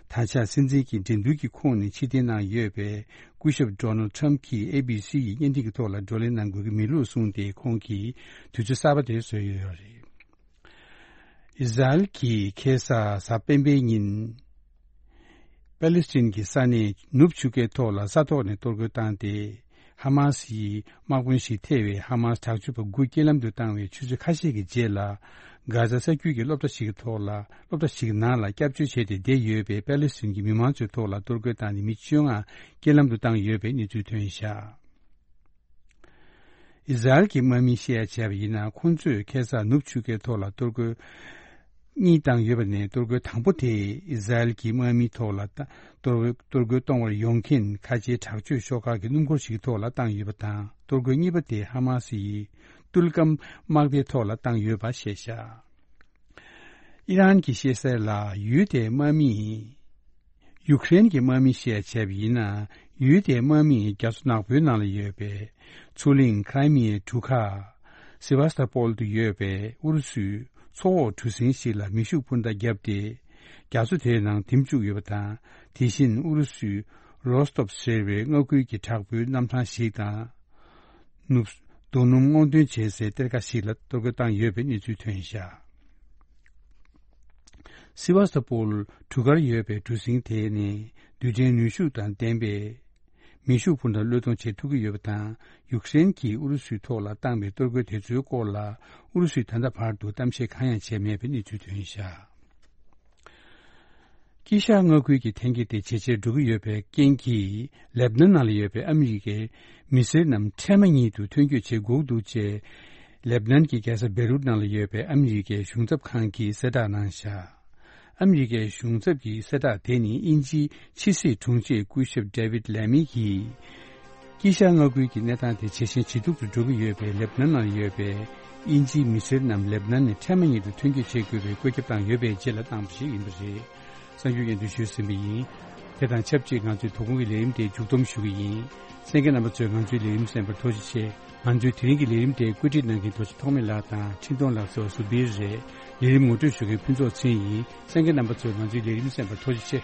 ད་ཆ་སྲིད་འཛིན་གྱི་འགྲན་བསྡུར་གྱི་ཁོངས་ནས་ཕྱིར་འཐེན་གནང་ཡོད་པས། སྐུ་ཞབས་Donald Trump གྱིས་A B C ཡི་བརྙན་འཕྲིན་གྱི་ཐོག་ལ་བགྲོ་གླེང་གནང་དགོས་ཀྱི་མེད་ལུགས་གསུངས་ཏེ། ཁོང་གིས་དུས་ཚོད་གསར་པ་དེ་བཟོས་ཡོད་རེད། ཨི་ཟ་རེལ་གྱིས་ཁ་སང་གཟའ་སྤེན་པའི་ཉིན། པེ་ལི་སི་ཐན་གྱི་ས་གནས་ནུབ་ཆུ་ཁའི་ཐོག་ལ་ས་ཐོག་ནས་གཏོར་རྒོལ་བཏང་སྟེ། ཧ་མ་སི་ཡི་དམག་དཔོན་ཞིག་ཐེ་བའི་ཧ་མ་སི་དྲག་སྤྱོད་པ་དགུ་རྐྱེན་ལམ་དུ་བཏང་བའི་ཆུ་ཚོད་ཁ་ཤས་ཀྱི་རྗེས་ལ། གྷ་ཛ་ས་རྒྱུད་ཀྱི་སློབ་གྲྭ་ཞིག་གི་ཐོག་ལ། སློབ་གྲྭ་ཞིག་གི་ནང་ལ་སྐྱབས་བཅོལ་བྱས་ཏེ་བསྡད་ཡོད་པའི་པེ་ལི་སི་ཐན་གྱི་མི་མང་ཚོའི་ཐོག་ལ་གཏོར་རྒོལ་བཏང་ནས། མི་བཅོ་ལྔ་རྐྱེན་ལམ་དུ་བཏང་ཡོད་པའི་གནས་ཚུལ་ཐོན་བཞག་ཨི་ཟ་རེལ་གྱི་དམག་མིས་བཤད་ཡ་བྱས་པ་ཡིན་ན། ཁོང་ཚོས་ཁ་སང་ནུབ་ཆུ་ཁའི་ཐོག་ལ་གཏོར་རྒོལ་གཉིས་བཏང་ཡོད་པ་ནས། གཏོར་རྒོལ་དང་པོ་དེ་ཨི་ཟ་རེལ་གྱི་དམག་མིའི་ཐོག་ལ་གཏོར་གཏོར་རྒོལ་གཏོང་བར་ཡོང་མཁན་ཁ་ཆེའི་དྲག་སྤྱོད་ཤོག་ཁག་གི་སྣུམ་འཁོར་ཞིག་གི་ཐོག་ལ་བཏང་ཡོད་པ་དང་། གཏོར་རྒོལ་གཉིས་པ་དེ་ཧ་མ་སི་ཡི་ཏུལ་ཀམ་དམག་སྡེའི་ཐོག་ལ་བཏང་ཡོད་པ་བཤད་བཞག་ཨི་རན་གྱིས་བཤད་གསལ་ལ། ཡུལ་དེའི་དམག་མིས། ཡུཀ་རེན་གྱི་དམག་མིས་བཤད་བྱས་པ་ཡིན་ན། ཡུལ་དེའི་དམག་མིས་རྒྱ་མཚོ་ནག་པོའི་ནང་ལ་ཡོད་པའི་མཚོ་གླིང་ཁ་རི་མི་ཡའི་གྲུ་ཁ་སི་ཝཱ་སྟ་པོལ་དུ་ཡོད་པའི་ཨུ་རུ་སུའི་མཚོ་འོག་གྲུ་གཟིངས་ཤིག་ལ་མེ་ཤུགས་འཕུར་མདའ་བརྒྱབ་སྟེ། རྒྱ་མཚོ་དེའི་ནང་འདེམས་བཅུག་ཡོད་པ་དང་། དེ་བཞིན་ཨུ་རུ་སུའི་རོ་སྟོབ་ཟེར་བའི་མངའ་ཁུལ་གྱི་དྲག་པོའི་གནམ་ཐང་ཞིག་དང་། ནུབ། རྡོ་སྣུམ་སྔོག་འདོན་བྱེད་སའི་གཏེར་ཁ་ཞིག་ལ་གཏོར་རྒོལ་བཏང་ཡོད་པའི་གནས་ཚུལ་ཐོན་བཞག་སི་ཝཱ་སྟ་པོལ་གྲུ་ཁར་ཡོད་པའི་གྲུ་གཟིངས་དེ་ནི་རྡུལ་ཕྲན་ནུས་ཤུགས་དང་ལྡན་པའི་མེ་ཤུགས་འཕུར་མདའ་བློས་གཏོང་བྱེད་ཐུབ་ཀྱི་ཡོད་པ་དང་། ཡུཀ་རེན་གྱིས་ཨུ་རུ་སུའི་ཐོག་ལ་བཏང་བའི་གཏོར་རྒོལ་དེ་ཚོའི་སྐོར་ལ་ཨུ་རུ་སུས་ད་ལྟ་བར་དུ་གཏམ་བཤད་གང་ཡང་བྱས་མེད་པའི་གནས་ཚུལ་ཐོན་བཞག་དཀྱིལ་ཤར་མངའ་ཁུལ་གྱི་འཐེན་འཁྱེར་དེ་ཇེ་ཆེར་འགྲོ་གི་ཡོད་པའི་རྐྱེན་གྱིས། ལེབ་ནན་ནང་ལ་ཡོད་པའི་ཨ་མི་རི་ཀའི་མི་སེར་རྣམས་འཕྲལ་མ་ཉིད་དུ་ཐོན་སྐྱོད་བྱེད་དགོས་འདུག་ཅེས། ལེབ་ནན་གྱི་རྒྱལ་ས་བེ་རུད་ནང་ལ་ཡོད་པའི་ཨ་མི་རི་ཀའི་གཞུང་ཚབ་ཁང་གིས་གསལ་བསྒྲགས་གནང་བཞག་ཨ་མི་རི་ཀའི་གཞུང་ཚབ་ཀྱི་གསལ་བསྒྲགས་དེ་ནི་དབྱིན་ཇིའི་ཕྱི་སྲིད་དྲུང་ཆེ་སྐུ་ཞབས་ཌེ་ཝིད་ལེ་མི་གིས། དཀྱིལ་ཤར་མངའ་ཁུལ་གྱི་གནས་སྟངས་དེ་ཇེ་ཞན་ཇེ་སྡུག་ཏུ་འགྲོ་གི་ཡོད་པའི་ལེབ་ནན་ནང་ཡོད་པའི་དབྱིན་ཇིའི་མི་སེར་རྣམས་ལེབ་ནན་ནས་འཕྲལ་མ་ཉིད་དུ་ཐོན་སྐྱོད་བྱེད་དགོས་པའི་བཀོད་ཁྱབ་བཏང་ཡོད་པའི་རྗེས་ལ་བཏང་བ་ཞིག་ཡིན་པ་རེད། གསར་འགྱུར་སྙན་སྒྲོན་ཞུས་ཟིན་པ་ཡིན། དེ་དང་ཆབས་ཅིག་ང་ཚོའི་དོ་དགོང་གི་ལས་རིམ་དེ་མཇུག་བསྡོམས་ཞུ་གི་ཡིན། གསན་མཁན་རྣམ་པ་ཚོས་ང་ཚོའི་ལས་རིམ་གསན་པར་ཐུགས་རྗེ་ཆེ། ང་ཚོའི་དེ་རིང་གི་ལས་རིམ་དེ་བཀོད་སྒྲིག་གནང་མཁན་རྡོ་རྗེ་ཐོགས་མེད་ལགས་དང་འཕྲིན་གཏོང་ལགས་སོགས་ཟུར་པའི་རེད། ལས་རིམ་ངོ་སྤྲོད་ཞུ་མཁན་ཕུན་ཚོགས་ཚེ་རིང་ཡིན། གསན་མཁན་རྣམ་པ་ཚོས་ང་ཚོའི་ལས་རིམ་གསན་པར་ཐུགས་རྗེ་ཆེ།